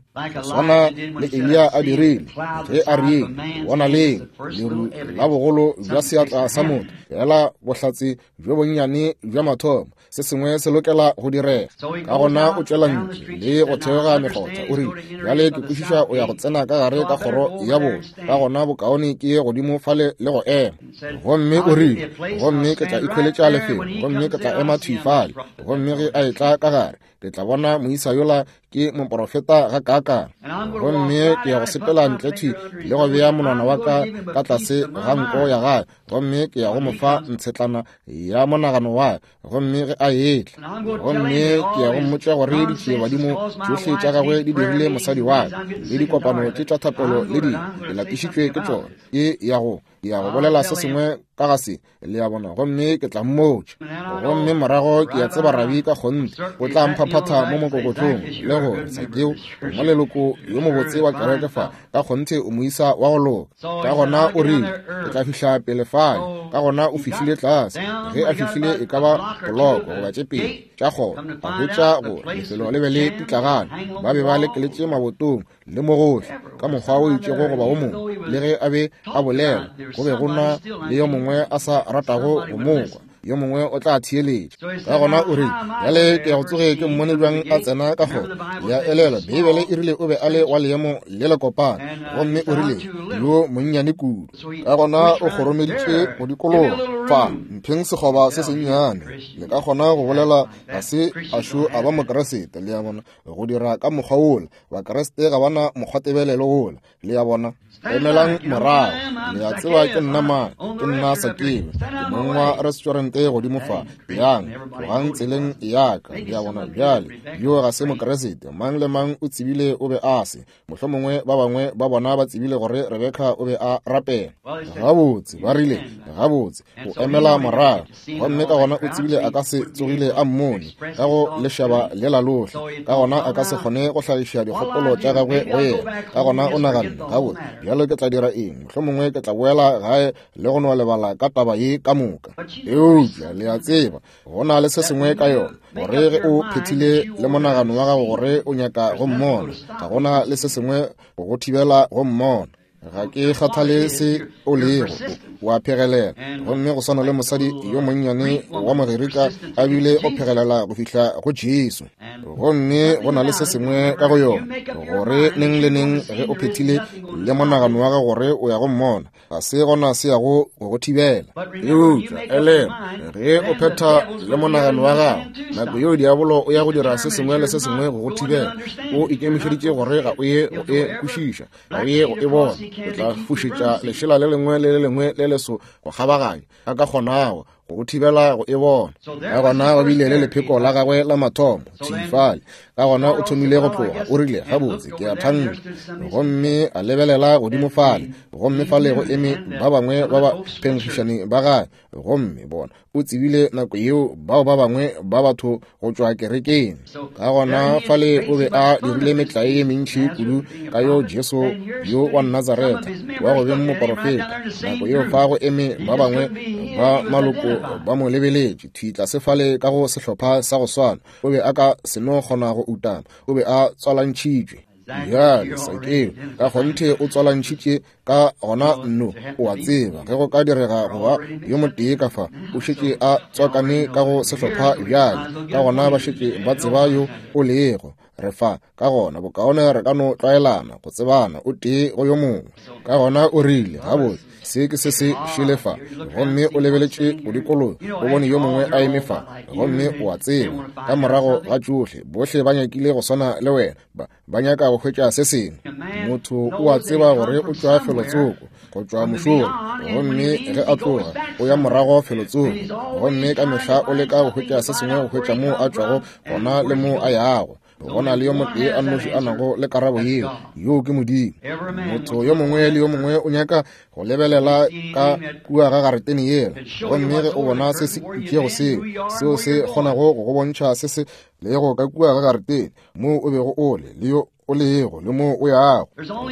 swana le Eliya a dirile ge a rile, bona leng leru la bogolo bja seatla sa motho, fela bohlatse bjo bonnyane bja mathomo, se sengwe se lokela go direga. Ka gona o tšwela ntle le go theoga mekgotha, o rile, bjale ke kwešiša o ya go tsena ka gare ka kgoro ya borwa, ka gona bokaone ke ye godimo fale le go ema. Gomme o rile, gomme ke tla ikhweletša lefelo, gomme ke tla ema thwi fale, gomme ge a etla ka gare, ke tla bona moisa yola ke moporofeta ga kaakang. Gomme ke ya go sepela ntle thwi le go bea monwana wa ka ka tlase ga nko ya gage, gomme ke ya go mo fa ntshetlana ya monagano wa, gomme ge a etla, gomme ke ya go mmotša gore ditšiebadimo tšohle tša gagwe di dirile mosadi wa ka, le dikopano tše tša thapelo le dilo, ke lapišitšwe ke tšona. Ke ya go ya go bolela se sengwe ka ga se, le a bona, gomme ke tla mmotša. Gomme morago ke ya tseba rabi ka kgonthe o tla mphaphatha mo mokokotlong le go re, Sakeo, o moleloko yo mobotse wa kereke fa, ka kgonthe o moisa wa go loka. Ka gona o rile, ke tla fihla pele fale. Ka gona o fihlile tlase. Ge a fihlile e ka ba poloko goba tše pedi tša kgoro, a hwetša gore lefelo le be le pitlagane, ba be ba lekeletše mabotong le mo gohle ka mokgwa o itšego goba wo mongwe. Le ge a be a bolela, go be go na le yo mongwe a sa ratago go mo kwa, yo mongwe o tla theeletša. Ka gona o rile, bjale ke ya go tsoge ke mmone bjang a tsena ka kgoro. Le a elelwa, Beibele e rile o be a le wa leemo le lekopana, gomme o rile yo monnyane kudu. Ka gona o kgoromeditše go dikologa fa, mpheng sekgoba se sennyane, le ka kgona go bolela ga se a šo a ba Mokeresete. Le a bona, go dira ka mokgwa wola, Bakriste ga ba na mokgwatebelelo wola. Le a bona, emelang morago. Le a tseba ke nna mang? Ke nna Sakeo, ke mong wa restaurante godimo fa. Yang, tlogang tseleng ya ka. Le a bona, bjale yo ga se Mokriste. Mang le mang o tsebile o be a se. Mohlomongwe ba bangwe ba bona ba tsebile gore Rebeka o be a rapela. Gabotse, ba rile, gabotse, o emela morago. Gomme ka gona o tsebile a ka se tsogile a mmone ka go lešaba lela lohle, ka gona a ka se kgone go hlagiša dikgopolo tša gagwe go yena. Ka gona o naganne, gabotse, bjalo ke tla dira eng? Mohlomongwe ke tla boela gae le go no lebala ka taba ye ka moka. Eupša le a tseba, go na le se sengwe ka yona, gore ge o phethile le monagano wa gago gore o nyaka go mmona, ga gona le se sengwe go go thibela go mmona. Ga ke kgathale se o lego, o a phegelela. Gomme go swana le mosadi yo monnyane wa Mogerika a bile o phegelela go fihla go Jesu. Gomme go na le se sengwe ka go yona, gore neng le neng ge o phethile le monagano wa gago gore o ya go mmona, ga se gona se yago go go thibela. Eupša elelwa, ge o phetha le monagano wa gago, nako yeo diabolo o ya go dira se sengwe le se sengwe go go thibela. O ikemišeditše gore ga o ye go e kwešiša, ga o ye go e bona. O tla fušetša lešela le lengwe le le lengwe le leso go kgabaganya a ka kgonago go go thibela go e bona. Ka gona go bile le lepheko la gagwe la mathomo thwi fale. Ka gona o thomile go tloga, o rile, gabotse, ke a thanka. Gomme a lebelela godimo fale, gomme fale go eme ba bangwe ba ba phenkgišani ba gagwe. Gomme bona, o tsebile nako yeo bao ba bangwe ba batho go tšwa kerekeng. Ka gona fale o be a dirile metlae ye mentši kudu ka yo Jesu yo wa Nazaretha wa go beng moporofeta. Nako yeo fa go eme ba bangwe ba maloko ba mo lebeletše thwi tlase fale ka go sehlopha sa go swana. O be a ka se no kgona go utama, o be a tswalantšhitšwe. Bjale Sakeo ka kgonthe o tswalantšhitše ka gona nno, o a tseba, ge go ka direga go ba yo motee ka fa, o šetše a tswakane ka go sehlopha bjale, ka gona ba šetše ba tseba yo o lego. Re fa, ka gona bokaone re ka no tlwaelana, go tsebana o tee go yo mongwe. Ka gona o rile, gabotse, se ke se se šele fa. Gomme o lebeletše go dikologa, o bone yo mongwe a eme fa. Gomme o a tseba, ka morago ga tšohle, bohle ba nyakile go swana le wena, ba nyaka go hwetša se sengwe. Motho o a tseba gore o tšwa felotsoko, go tšwa mošola, gomme ge a tloga o ya morago felotsoko, gomme ka mehla o leka go hwetša se sengwe go hwetša moo a tšwago gona le moo a yago. Go na le yo motee a nnoši a nago le karabo yeo, yoo ke Modimo. Motho yo mongwe le yo mongwe o nyaka go lebelela ka kua ga garetene yela, gomme ge o bona se se itšego seo, seo se kgonago go go bontšha se se lego ka kua ga garetene, moo o bego o le, le yo o lego, le moo o yago.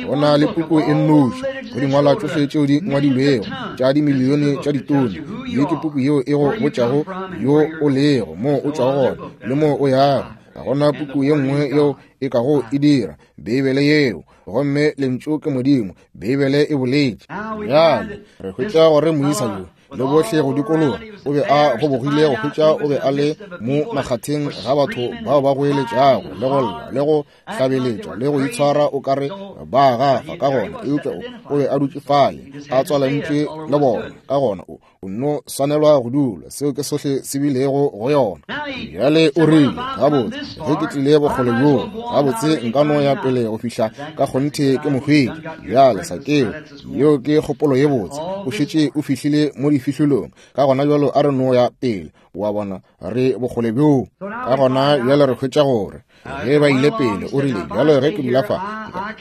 Go na le puku e nnoši go dingwalwa tšohle tšeo di ngwadilwego tša dimilione tša ditone. Ye ke puku yeo e go botšago yo o lego, moo o tšwago gona, le moo o yago. Ga go na puku ye nngwe yeo e kago e dira, Beibele yeo. Gomme Lentšu ke Modimo, Beibele e boletše. Bjale re hwetša gore moisa yo le bohle go dikologa o be a gobogile go hwetša o be a le mo makgatheng ga batho bao ba goeletšago le go lla le go hlabeletša le go itshwara o ka re ba gafa. Ka gona eupša o be a dutše fale a tswalantšwe le bona. Ka gona o nno swanelwa go dula. Seo ke sohle se bilego go yona. Bjale o rile, gabotse, ge ke tlile bokgole bjoo, gabotse nka no ya pele go fihla ka kgonthe ke mo hwetša. Bjale, Sakeo, yeo ke kgopolo ye botse. O šetše o fihlile mo difihlolong. Ka gona bjalo a re no ya pele. Wa bona, re bokgole bjoo. Ka gona bjale re hwetša gore ge ba ile pele, o rile, bjalo ge ke dula fa,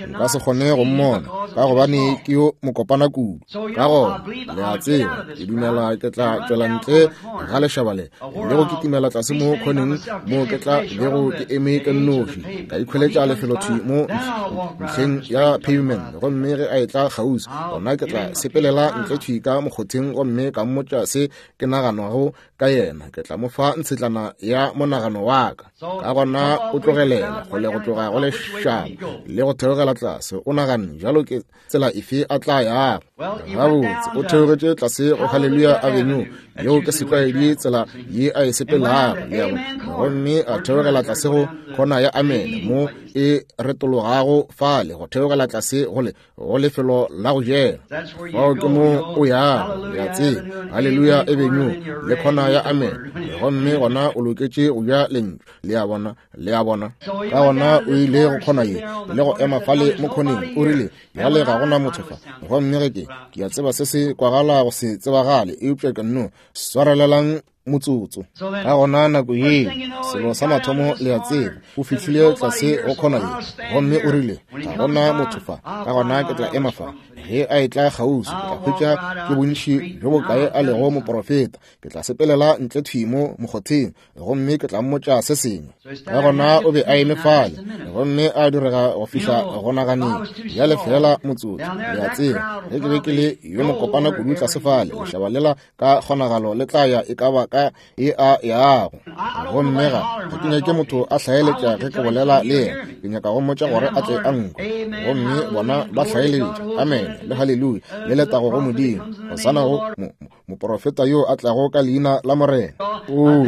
nka se kgone go mmona, ka gobane ke yo mokopana kudu. Ka gona, le a tseba, ke dumela ke tla tšwela ntle ga lešaba le, le go kitimela tlase mo khoneng mo ke tla bego ke eme ke nnoši, ka ikhweletša lefelo thwi mo ntlheng ya pavement. Gomme ge a etla kgauswi, gona ke tla sepelela ntle thwi ka mokgotheng gomme ka mmotša se ke naganago ka yena. Ke tla mo fa ntshetlana ya monagano wa ka. Ka gona o tlogelela kgole go tloga go lešaba le go theogela tlase. O naganne jalo ke tsela efe a tla yago. Gabotse, o theogetše tlase go Hallelujah Avenue, yeo ke setlwaedi tsela ye a e sepelago, le a bona. Gomme a theogela tlase go khona ya Amen, mo e retologago fale go theogela tlase go le go lefelo la go jela. Fao ke mo o yago, le a tseba, Hallelujah Avenue le khona ya Amen, gomme gona o loketše go ja lentšu, le a bona, le a bona. Ka gona o ile go khona ye le go ema fale mo khoneng, o rile, bjale ga gona motho fa, gomme ge ke a tseba se se kwagala go se tsebagale, eupša ke nno swarelelang motsotso. Ka gona nako ye, selo sa mathomo le a tseba, o fihlile tlase go khona ye, gomme o rile, ga gona motho fa, ka gona ke tla ema fa. Ge a etla kgauswi, ke tla hwetša ke bontši bjo bokae a lego moprofeta. Ke tla sepelela ntle thwi mo mokgotheng, gomme ke tla mmotša se sengwe. Ka gona o be a eme fale, gomme a direga go fihla go naganeng. Bjale feela motsotso, le a tseba, ge ke be ke le yo mokopana kudu tlase fale, lešaba lela ka kgonagalo le tla ya e ka ba ka e a yago. Gomme ga ke nyake motho a hlaeletša ge ke bolela le yena. Ke nyaka go mmotša gore a tle a nkwe. Gomme bona ba hlaeletša, amen le haleluya le letago go Modimo, hosana go moprofeta yo a tlago ka leina la Morena. Oo,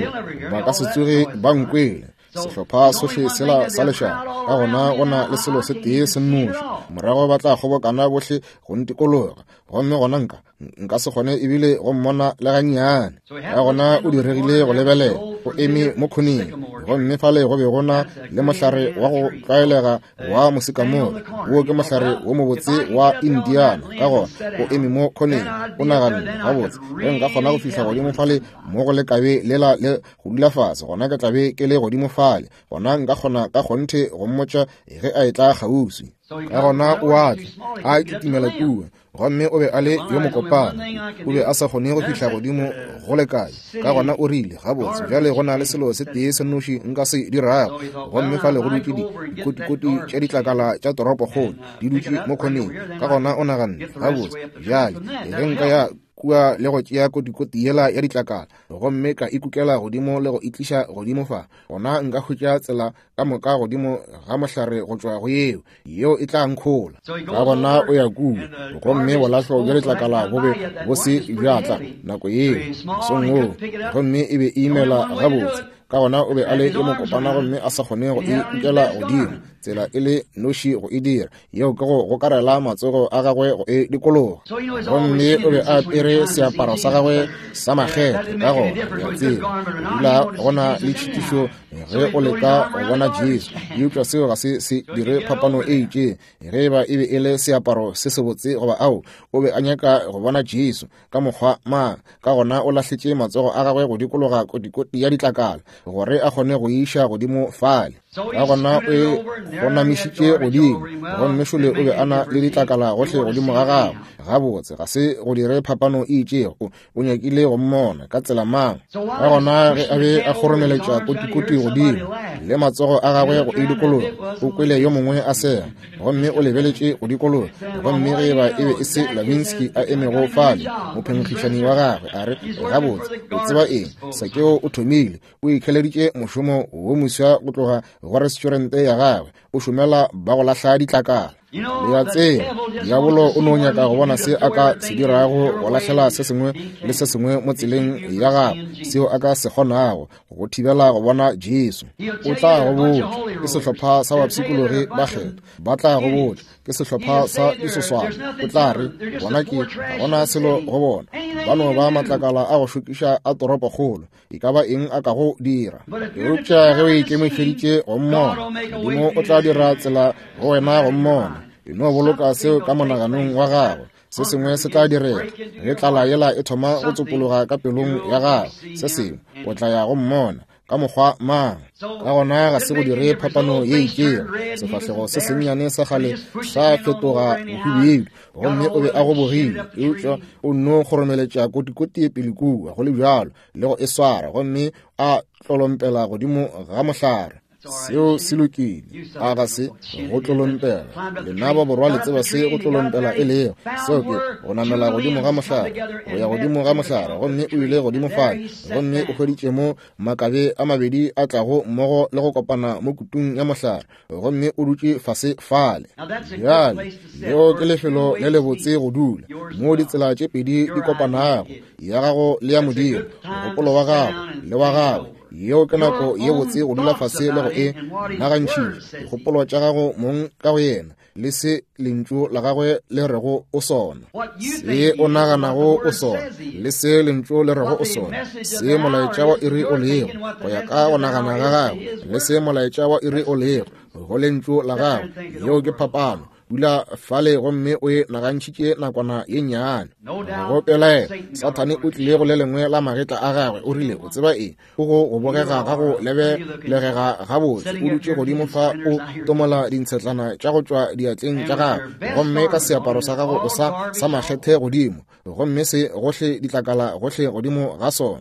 ba ka se tsoge ba nkwele, sehlopha sohle sela sa lešaba. Ka gona go na le selo se tee se nnoši, morago ba tla kgobokana bohle go ntikologa, gomme gona nka se kgone ebile go mmona le gannyane. Ka gona o diregile go lebelela, o eme mo khoneng, gomme fale go be go na le mohlare wa go tlwaelega wa mosikamore. Wo ke mohlare wo mobotse wa Indiana. Ka gona o eme mo khoneng, o naganne, gabotse, ge nka kgona go fihla godimo fale mo go lekabe lela le go dula fase, gona ke tla be ke le godimo fale, gona nka kgona ka kgonthe go mmotša ge a etla kgauswi. Ka gona o a tla, a kitimela kua, gomme o be a le yo mokopana, o be a sa kgone go fihla godimo go lekae. Ka gona o rile, gabotse, bjale go na le selo se tee se nnoši nka se dirago. Gomme fale go dutše dikotikoti tša ditlakala tša toropokgolo di dutše mo khoneng. Ka gona o naganne, gabotse, bjale ge nka ya kua le go tšea kotikoti yela ya ditlakala gomme ka ikukela godimo le go itliša godimo fa, gona nka hwetša tsela ka moka godimo ga mohlare go tšwa go yeo, yeo e tla nkhola. Ka gona o ya kua, gomme bolahlo bja letlakala bo be bo se bja tla nako yeo mosong woo, gomme e be e imela gabotse. Ka gona o be a le yo mokopana gomme a sa kgone go e kukela godimo, tsela e le noši go e dira yeo ke go gokarela matsogo a gagwe go e dikologa. Gomme o be a apere seaparo sa gagwe sa makgethe. Ka gona le a tseba, go dula go na le tšhitišo ge o leka go bona Jesu, eupša seo ga se se dire phapano e itšeng ge eba e be e le seaparo se sebotse goba ao. O be a nyaka go bona Jesu ka mokgwa mang. Ka gona o lahletše matsogo a gagwe go dikologa kotikoti ya ditlakala gore a kgone go iša godimo fale. Ka gona o e gonamišitše godimo, gomme šole o be a na le ditlakala gohle godimo ga gagwe. Gabotse, ga se go dire phapano e itšego. O nyakile go mmona ka tsela mang. Ka gona ge a be a kgoromeletša kotikoti godimo le matsogo a gagwe go e dikologa, o kwele yo mongwe a sega, gomme o lebeletše go dikologa, gomme ge eba e be e se Lavinsky a emego fale, mophenkgišani wa gagwe, a re, gabotse, o tseba eng, Sakeo o thomile, o ikheleditše mošomo wo moswa go tloga go restaurante ya gagwe, o šomela ba go lahla ditlakala. Le a tseba, diabolo o no nyaka go bona se a ka se dirago go lahlela se sengwe le se sengwe mo tseleng ya gagwe, seo a ka se kgonago go thibela go bona Jesu. O tla go botša, ke sehlopha sa bapshikologi ba kgetho. Ba tla go botša, ke sehlopha sa disoswana. O tla re, bona ke, ga gona selo go bona. Ba no ba matlakala a go šokiša a toropokgolo. E ka ba eng a ka go dira. Eupša ge o ikemišeditše go mmona, Modimo o tla dira tsela go wena go mmona. E no boloka seo ka monaganong wa gago. Se sengwe se tla direga ge tlala yela e thoma go tsopologa ka pelong ya gago. Se sengwe, o tla ya go mmona ka mokgwa mang. Ka gona ga se go dire phapano ye itšego. Sefahlego se sennyane sa kgale sa fetoga bohubedu, gomme o be a gobogile, eupša o nno kgoromeletša kotikoti pele kua, go le bjalo, le go e swara, gomme a tlolompela godimo ga mohlare. Seo se lokile. A ga se go tlolompela? Lena ba borwa le tseba se go tlolompela e lego. Seo ke go namela godimo ga mohlare, go ya godimo ga mohlare, gomme o ile godimo fale, gomme o hweditše mo makabe a mabedi a tlago mmogo le go kopana mo kutung ya mohlare, gomme o dutše fase fale. Bjale, leo ke lefelo le lebotse go dula, moo ditsela tše pedi di kopanago, ya gago le ya Modimo, mogopolo wa gago le wa gagwe. Yeo ke nako ye botse go dula fase le go e nagantšhiša, dikgopolo tša gago mong ka go yena, le se lentšu la gagwe le rego o sona, se o naganago o sona, le se lentšu le rego o sona, se molaetša wa iri o lego, go ya ka go nagana ga gagwe, le se molaetša wa iri o lego, go lentšu la gagwe. Yeo ke phapano. Dula fale gomme o e nagantšhitše nakwana ye nnyane. Go pelaela, Sathane o tlile go le lengwe la magetla a gagwe, o rile, o tseba eng? O go go bogega ga go lebelegega gabotse, o dutše godimo fa o tomola dintshetlana tša go tšwa diatleng tša gago, gomme ka seaparo sa gago o sa sa makgethe godimo, gomme se gohle ditlakala gohle godimo ga sona.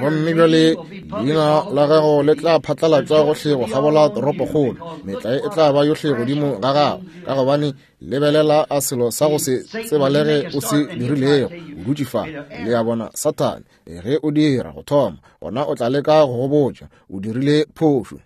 Gomme bjale leina la gago le tla phatlalatšwa gohle go kgabola toropokgolo, metlae e tla ba yohle godimo ga gago, ka gobane lebelela a selo sa go se tsebalege o se dirilego, o dutše fa. Le a bona, Sathane, ge o dira go thoma, gona o tla leka go go botša o dirile phošo.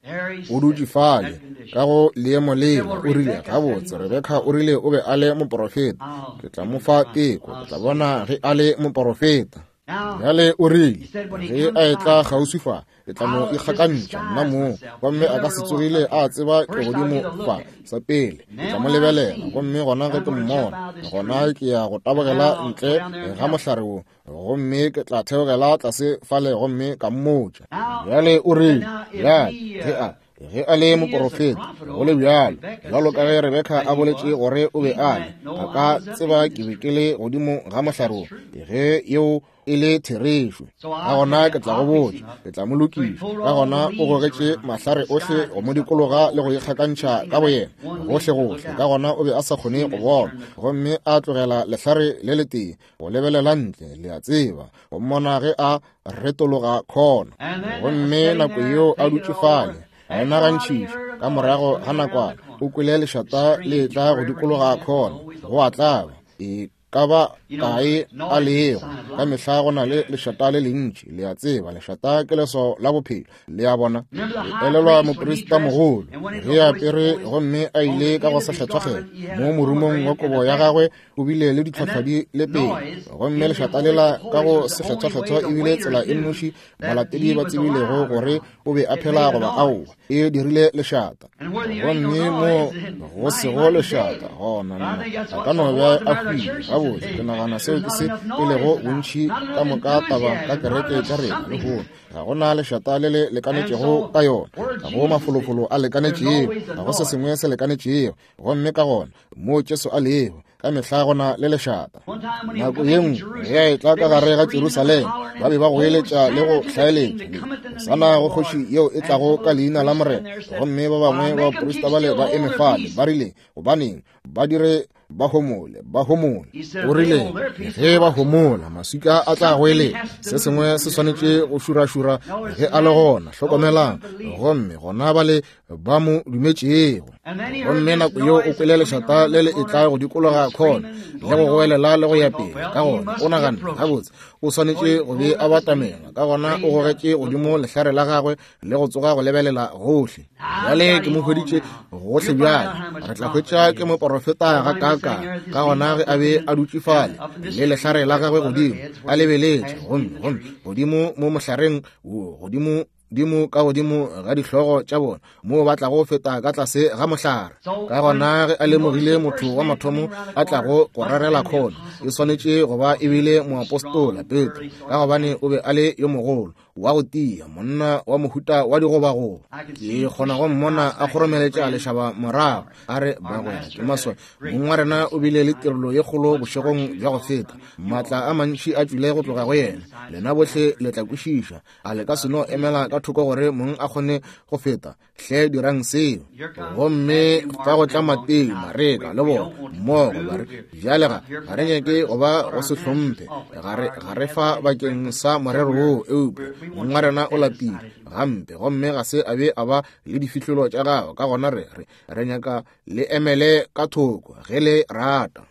O dutše fale ka go leemo lela, o rile, gabotse, Rebeka o rile o be a le moporofeta, ke tla mo fa teko, ke tla bona ge a le moporofeta. Bjale o rile ge a etla kgauswi fa, ke tla mo ikgakantšha nna mong, gomme a ka se tsogile a tseba ke godimo fa. Sa pele ke tla mo lebelela, gomme gona ge ke mmona, gona ke ya go tabogela ntle ga mohlare wo, gomme ke tla theogela tlase fale gomme ka mmotša. Bjale o rile, bjale ge a ge a le moporofeta, go le bjalo, bjalo ka ge Rebeka a boletše gore o be a le, a ka tseba ke be ke le godimo ga mohlare wo, ge yeo e le therešo. Ka gona ke tla go botša, ke tla mo lokiša. Ka gona o gogetše mahlare ohle go mo dikologa le go ikgakantšha ka boyena gohle gohle. Ka gona o be a sa kgone go bona, gomme a tlogela lehlare le letee go lebelela ntle, le a tseba, go mmona ge a retologa khona. Gomme nako yeo a dutše fale, a nagantšhiša, ka morago ga nakwana o kwele lešata le etla go dikologa khona, go a tlaba. E ka ba kae a lego, ka mehla go na le lešata le lentši, le a tseba, lešata ke leswao la bophelo, le a bona. Le elelwa moprista mogolo ge a apere gomme a ile ka go sekgethwakgethwa, mo morumong wa kobo ya gagwe o bile le ditlhohlo di le pedi, gomme lešata lela ka go sekgethwakgethwa e bile tsela e nnoši balatedi ba tsebilego gore o be a phela goba aowa, e dirile lešata. Gomme mo go sego lešata gona nna a ka no be a hwile. Gabotse, ke nagana seo ke se e lego bontši ka moka taba ka kereke tša rena lehono. Ga go na lešata le le lekanetšego ka yona, ga go mafolofolo a lekanetšego, ga go se sengwe se lekanetšego. Gomme ka gona moo Jesu a lego, ka mehla go na le lešata. Nako ye nngwe ge a etla ka gare ga Jerusalema, ba be ba goeletša le go hlaeletša, Hosana go kgoši yeo e tlago ka leina la Morena. Gomme ba bangwe ba baprista bale ba eme fale, ba rile, Gobaneng ba dire Ba homole, ba homole. O rile, ge ba homola, maswika a tla goeletša. Se sengwe se swanetše go šurašura ge a le gona. Hlokomelang. Gomme gona bale ba mo dumetšego. Gomme nako yeo o kwele lešata le le etla go dikologa khona, le go goelela le go ya pele. Ka gona o naganne, gabotse, o swanetše go be a batamela. Ka gona o gogetše godimo lehlare la gagwe le go tsoga go lebelela gohle. Bjale ke mo hweditše gohle bjale. Re tla hwetša ke moporofeta ga kaakang. Ka gona ge a be a dutše fale le lehlare la gagwe godimo, a lebeletše, gomme, gomme godimo mo mohlareng wo, godimo dimo ka godimo ga dihlogo tša bona, moo ba tlago feta ka tlase ga mohlare. Ka gona ge a lemogile motho wa mathomo a tlago go rerela khona, e swanetše go ba e bile moapostola Petro, ka gobane o be a le yo mogolo, wa go tia, monna wa mohuta wa digobagoba. Ke kgona go mmona a kgoromeletša lešaba morago, a re, Bagwera, ke maswabi, mong wa rena o bile le tirelo ye kgolo bošegong bja go feta. Maatla a mantši a tšwile go tloga go yena. Lena bohle le tla kwešiša. A le ka se no emela ka thoko gore mong a kgone go feta? Hle dirang seo. Gomme fa go tla Mateo, Mareka le bona mmogo, ba re, Bjale ga, ga re nyake go ba go se hlomphe, ga re, ga re fa bakeng sa morero woo, eupša mong wa rena o lapile gampe gomme ga se a be a ba le difihlolo tša gagwe, ka gona re, re, re nyaka le emele ka thoko ge le rata.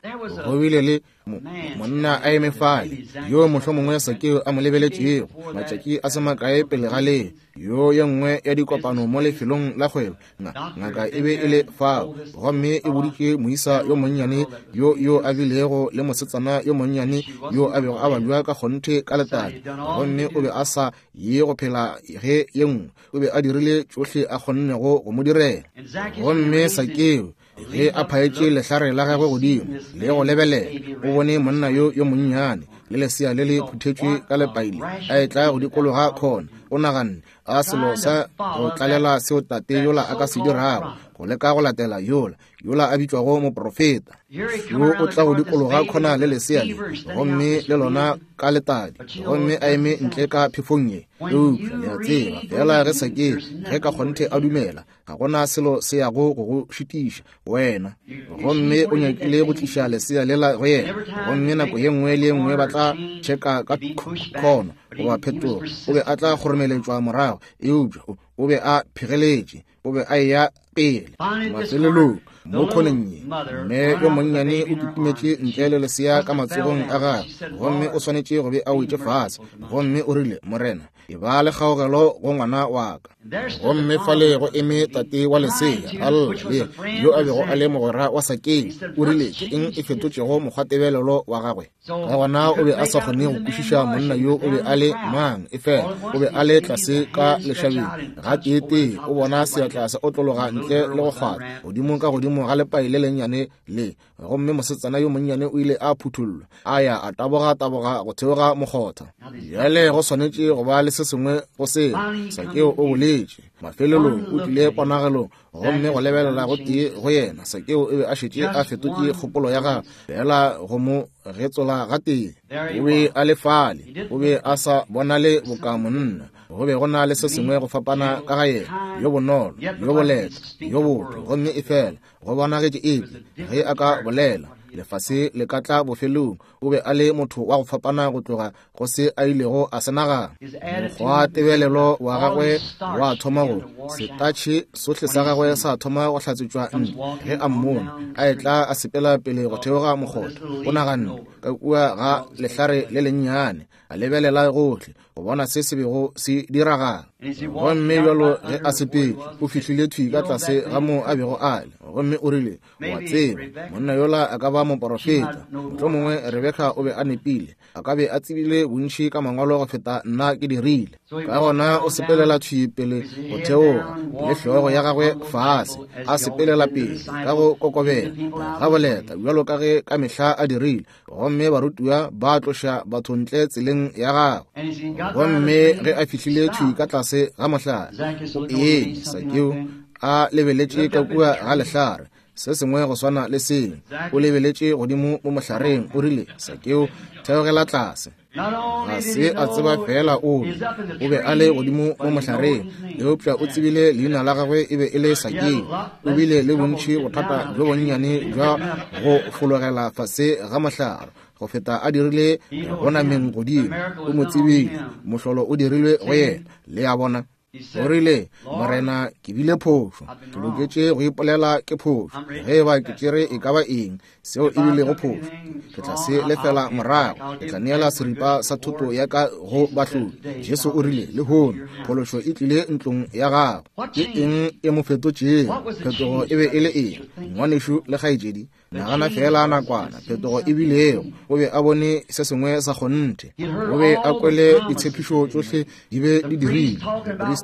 Go bile le monna a eme fale yo mohlomongwe Sakeo a mo lebeletšego matšatši a se makae pele ga le yo ye nngwe ya dikopano mo lefelong la kgwebo. Ngaka e be e le fao gomme e boditše moisa yo monnyane yo yo a bilego le mosetsana yo monnyane yo a bego a babja ka kgonthe ka letadi, gomme o be a sa ye go phela ge ye nngwe. O be a dirile tšohle a kgonnego go mo direla. Gomme Sakeo ge a phaetše lehlare la gagwe godimo le go lebelela, o bone monna yo yo monnyane le lesea le le phuthetšwe ka lepaile a etla go dikologa khona. O naganne, a selo sa go tlalela seo tate yola a ka se dirago, go leka go latela yola, yola a bitšwago moprofeta yo o tla go dikologa khona le lesea le, gomme le lona ka letadi, gomme a eme ntle ka phefong ye. Eupša le a tseba, fela ge Sakeo, ge ka kgonthe a dumela, ga gona selo se yago go go šitiša wena. Gomme o nyakile go tliša lesea lela go yena, gomme nako ye nngwe le ye nngwe ba tla tšheka ka khono goba phetogo, o be a tla kgoromeletšwa morago, eupša o be a phegeletše, o be a eya pele. Mafelelong mo khoneng ye, mme yo monnyane o kitimetše ntle le lesea ka matsogong a gagwe, gomme o swanetše go be a wetše fase, gomme o rile, Morena, e ba le kgaogelo go ngwana wa ka. Gomme fale go eme tate wa lesea a lla, le yo a bego a le mogwera wa Sakeo. O rile, Ke eng e fetotšego mokgwatebelelo wa gagwe? Ka gona o be a sa kgone go kwešiša monna yo o be a le mang, efela o be a le tlase ka lešabeng. Gateetee o bona seatla se otlologa ntle le go kgwatha godimo ka godimo ga lepai le lennyane le, gomme mosetsana yo monnyane o ile a phuthullwa, a ya a taboga-taboga go theoga mokgotha. Bjale go swanetše go ba le se sengwe go seo, Sakeo o boletše. Mafelelong o tlile ponagelong, gomme go lebelela go tee go yena, Sakeo o be a šetše a fetotše kgopolo ya gagwe fela go mo getsola gatee. O be a le fale, o be a sa bonale boka monna. Go be go na le se sengwe go fapana ka ga yena, yo bonolo, yo boleta, yo botho, gomme efela go bonagetše eke ge a ka bolela lefase le ka tla bofelong. O be a le motho wa go fapana go tloga go se a ilego a se nagana. Mokgwa tebelelo wa gagwe wa thoma go setatšhe sohle sa gagwe sa thoma go hlatswetšwa ntle ge a mmona a etla a sepela pele go theoga mokgotha. O naganne ka kua ga lehlare le lennyane, a lebelela gohle go bona se se bego se diragala. Gomme bjalo ge a sepele, o fihlile thwi ka tlase ga moo a bego a le, gomme o rile, Wa tseba, monna yola a ka ba moporofeta. Mohlomongwe Rebeka o be a nepile, a ka be a tsebile bontši ka mangwalo go feta nna ke dirile. Ka gona o sepelela thwi pele go theoga, le hlogo ya gagwe fase, a sepelela pele ka go kokobela ga boleta bjalo ka ge ka mehla a dirile. Gomme barutiwa ba tloša batho ntle tseleng ya gagwe. Gomme ge a fihlile thwi ka tlase ga mohlare, o eme Sakeo a lebeletše ka kua ga lehlare, se sengwe go swana le seo. O lebeletše godimo mo mohlareng, o rile, Sakeo, theogela tlase. Ga se a tseba feela o o be a le godimo mo mohlareng, eupša o tsebile leina la gagwe e be e le Sakeo. O bile le bontši bothata bjo bonnyane bja go fologela fase ga mohlare go feta a dirile go nameng godimo. O mo tsebile, mohlolo o dirilwe go yena. Le a bona? O rile, Morena, ke bile phošo. Ke loketše go ipolela ke phošo. Ge e ba ke tšere e ka ba eng, seo e bilego phošo, ke tla se lefela morago. Ke tla neela seripa sa thoto ya ka go bahlodi. Jesu o rile, Lehono, phološo e tlile ntlong ya gago. Ke eng e mo fetotšego? Phetogo e be e le eng? Ngwanešu le kgaetšedi, Nagana feela nakwana phetogo e bilego. O be a bone se sengwe sa kgonthe. O be a kwele ditshepišo tšohle di be di dirilwe.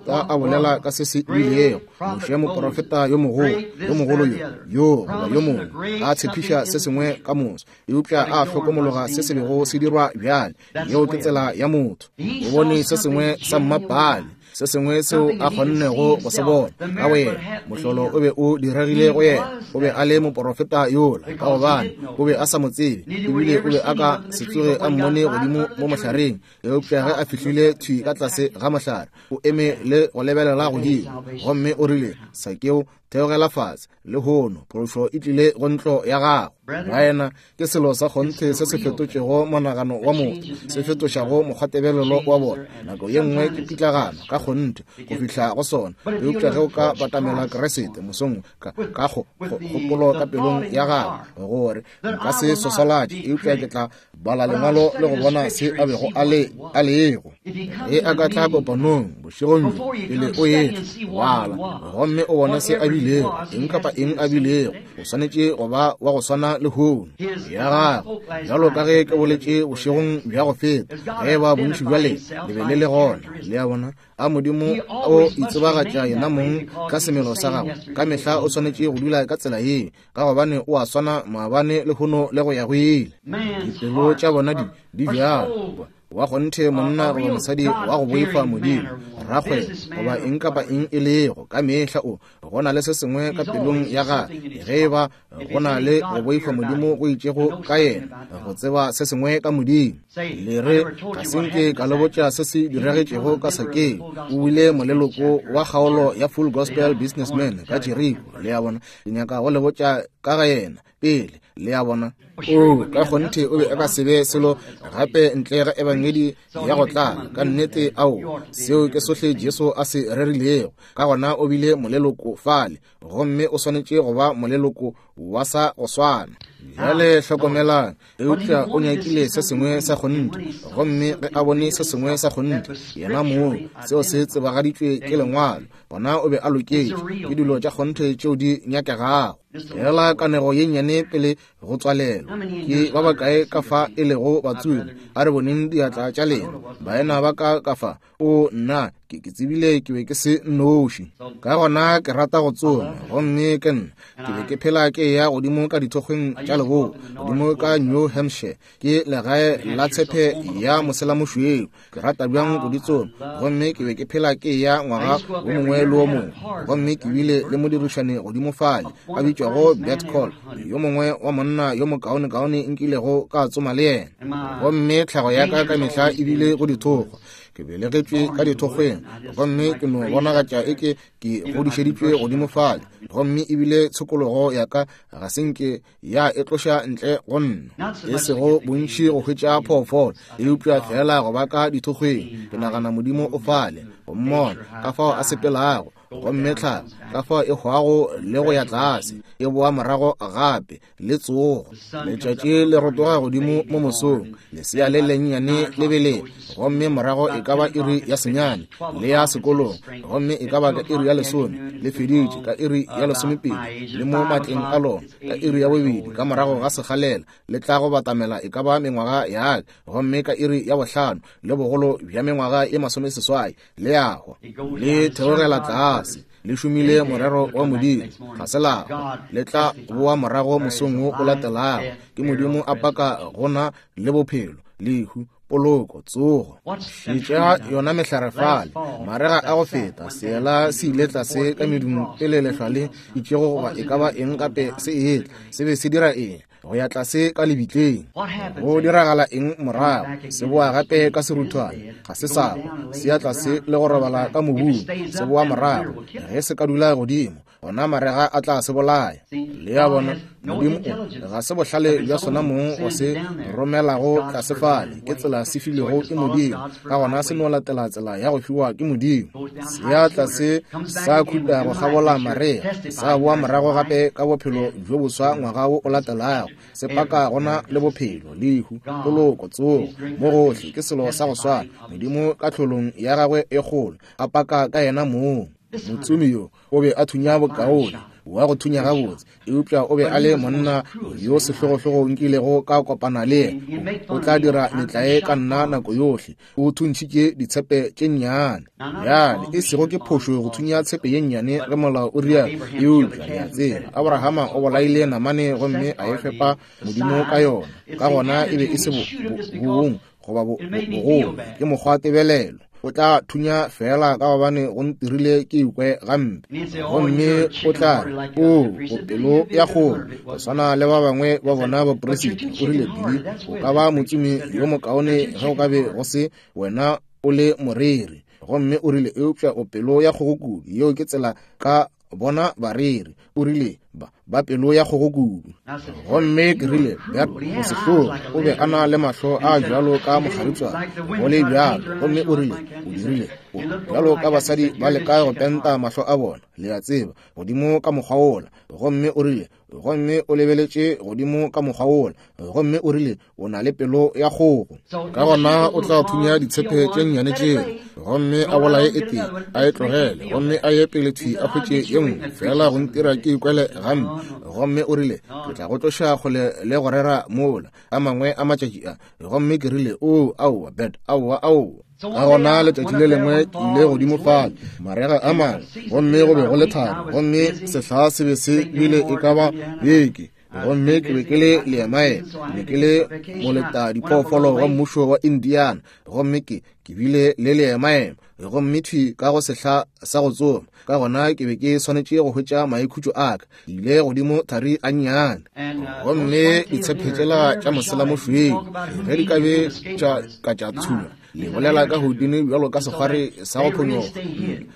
Moprista a bolela ka se se bilego. Moshe moprofeta yo mogolo, yo mogolo yo, yo goba yo mongwe, a tshepiša se sengwe ka moso, eupša a hlokomologa se se bego se dirwa bjale. Yeo ke tsela ya motho. O bone se sengwe sa mmapale, se sengwe seo a kgonnego go se bona ka go yena. Mohlolo o be o diregile go yena. O be a le moporofeta yola, ka gobane o be a sa mo tsebe, ebile o be a ka se tsoge a mmone godimo mo mohlareng. Eupša ge a fihlile thwi ka tlase ga mohlare, o eme le go lebelela godimo, gomme o rile, Sakeo, theogela fase lehono, phološo e tlile go ntlo ya gago. Baena, ke selo sa kgonthe se se fetotšego monagano wa motho, se fetošago mokgwatebelelo wa bona. Nako ye nngwe ke pitlagano ka kgonthe go fihla go sona, eupša ge o ka batamela Kriste mosong ka ka kgopolo ka pelong ya gago gore nka se swaswalatše, eupša ke tla bala lengwalo le go bona se a bego a le a lego. Ge a ka tla kopanong bošegong bjo pele o etla, bala gomme o bone se a bilego, eng kapa eng a bilego. O swanetše go ba wa go swana lehono ya gagwe, bjalo ka ge ke boletše bošegong bja go feta, ge ba bontši bja lena le be le le gona. Le a bona? A Modimo o itsebagatša yena mong ka semelo sa gagwe. Ka mehla o swanetše go dula ka tsela ye, ka gobane o a swana maabane, lehono le go ya go ile. Dipelo tša bona di di bjalo. Wa kgonthe monna goba mosadi wa go boifa Modimo, rakgwebo goba eng kapa eng e lego, ka mehla o go na le se sengwe ka pelong ya gagwe, ge e ba go na le go boifa Modimo go itšego ka yena, go tseba se sengwe ka Modimo. Le re, ga se nke ka le botša se se diragetšego ka Sakeo. O bile moleloko wa kgaolo ya Full Gospel Businessmen ka Jeriko. Le a bona? Ke nyaka go le botša ka ga yena pele. Le a bona? O, ka kgonthe o be a ka se be selo gape ntle ga ebangedi ya go tlala. Ka nnete, ao, seo ke sohle Jesu a se rerilego. Ka gona o bile moleloko fale, gomme o swanetše go ba moleloko wa sa go swana. Bjale hlokomelang, eupša o nyakile se sengwe sa kgonthe, gomme ge a bone se sengwe sa kgonthe, yena mong, seo se tsebagaditšwe ke Lengwalo, gona o be a loketše. Ke dilo tša kgonthe tšeo di nyakegago. Fela kanego ye nnyane pele go tswalelwa. Ke ba bakae ka fa e lego batsomi? A re boneng diatla tša lena, baena ba ka ka fa. O, nna, ke, ke tsebile ke be ke se nnoši. Ka gona ke rata go tsoma, gomme ke nna ke be ke phela ke eya godimo ka dithokgweng tša leboa, godimo ka New Hampshire, ke legae la tshepe ya moselamošweu. Ke rata bjang go di tsoma, gomme ke be ke phela ke eya ngwaga wo mongwe le wo mongwe. Gomme ke bile le modirišani godimo fale a bitšwago Bert Call, yo mongwe wa monna yo mokaonekaone nkilego ka tsoma le yena. Gomme tlhago ya ka ka mehla e bile go dithokgwa. Ke belegetšwe ka dithokgweng, gomme ke no bonagatša eke ke godišeditšwe godimo fale. Gomme ebile tshokologo ya ka ga se nke ya e tloša ntle go nna, e sego bontši go hwetša phoofolo, eupša feela go ba ka dithokgweng. Ke nagana Modimo o fale, go mmona ka fao a sepelago, gomme tlhago ka fao e hwago le go ya tlase, e boa morago gape le tsogo. Letšatši le rotoga godimo mo mosong, lesea le lennyane le beleng, gomme morago e ka ba iri ya senyane le ya sekolong, gomme e ka ba ka iri ya lesome le feditše, ka iri ya lesomepedi le mo matleng a lona, ka iri ya bobedi ka morago ga sekgalela le tla go batamela e ka ba mengwaga ya ka, gomme ka iri ya bohlano le bogolo bja mengwaga e masomeseswai le ya hwa, le theogela tlase, le šomile morero wa Modimo, ga se la hwa, le tla boa morago mosong wo o latelago. Ke Modimo a paka gona le bophelo, lehu, poloko, tsogo. Šetša yona mehlare fale, marega a go feta, seela se ile tlase ka medung pele lehlwa le itšego goba e ka ba eng gape se etla. Se be se dira eng? go ya tlase ka lebitleng. Go diragala eng morago? Se boa gape ka seruthwane, ga se sa hwa, se ya tlase le go robala ka mobung, se boa morago. Ge se ka dula godimo, gona marega a tla se bolaya. Le a bona, Modimo o, ga se bohlale bja sona mong go se romelago tlase fale, ke tsela se filwego ke Modimo, ka gona se no latela tsela ya go fiwa ke Modimo. Se ya tlase sa khuta go kgabola marega, sa boa morago gape ka bophelo bjo boswa ngwaga wo o latelago, se paka gona le bophelo, lehu, poloko, tsogo, mo gohle ke selo sa go swana. Modimo ka tlholong ya gagwe e kgolo a paka ka yena mong. Motsomi yo o be a thunya bokaone wa go thunya gabotse, eupša o be a le monna yo sehlogohlogo nkilego ka kopana le yena. O tla dira metlae ka nna nako yohle. O thuntšhitše ditshepe tše nnyane. Bjale, e sego ke phošo go thunya tshepe ye nnyane ge molao o rialo, eupša le a tseba, Abrahama o bolaile namane gomme a e fepa Modimo ka yona. Ka gona e be e se bong goba bogolo, ke mokgwa tebelelo. O tla thunya feela ka gobane go ntirile ke ikwe gampe. Gomme o tla re, O, o pelo ya kgogo, go swana le ba bangwe ba bona baperisita. O rile, Billy, o ka ba motsomi yo mokaone ge o ka be go se wena o le moreri. Gomme o rile, Eupša o pelo ya kgogo kudu. Yeo ke tsela ka bona bareri. O rile, Ba, ba pelo ya kgogo kudu. Gomme ke rile, Bert, o sehlogo. O be a na le mahlo a bjalo ka mokgaritswana, go le bjalo. Gomme o rile, O dirile, o, bjalo ka basadi ba leka go penta mahlo a bona, le a tseba, godimo ka mokgwa wola. Gomme o rile, gomme o lebeletše godimo ka mokgwa wola. Gomme o rile, O na le pelo ya kgogo. Ka gona o tla thunya ditshepe tše nnyane tšeo, gomme a bolaye e tee, a e tlogele, gomme a ye pele thwi a hwetše ye nngwe, feela go ntira ke ikwele gampe. Gomme o rile, Ke tla go tloša kgole le go rera mola, a mangwe a matšatši a. Gomme ke rile, Oo, aowa, Bert, aowa, aowa. Ka gona letšatši le lengwe ke ile godimo fale, marega a mangwe, gomme go be go le thari, gomme sehla se be se bile e ka ba beke. Gomme ke be ke le leemaema, ke be ke le moleta diphoofolo wa mmušo wa Indiana, gomme ke ke bile le leemaema, gomme thwi ka go sehla sa go tsoma. Ka gona ke be ke swanetše go hwetša maikhutšo a ka. Ke ile godimo thari gannyane, gomme ditshepe tšela tša moselamošweu ge di ka be tša ka tša tshunya, le bolela ka Houdini bjalo ka sekgwari sa go phonyoga,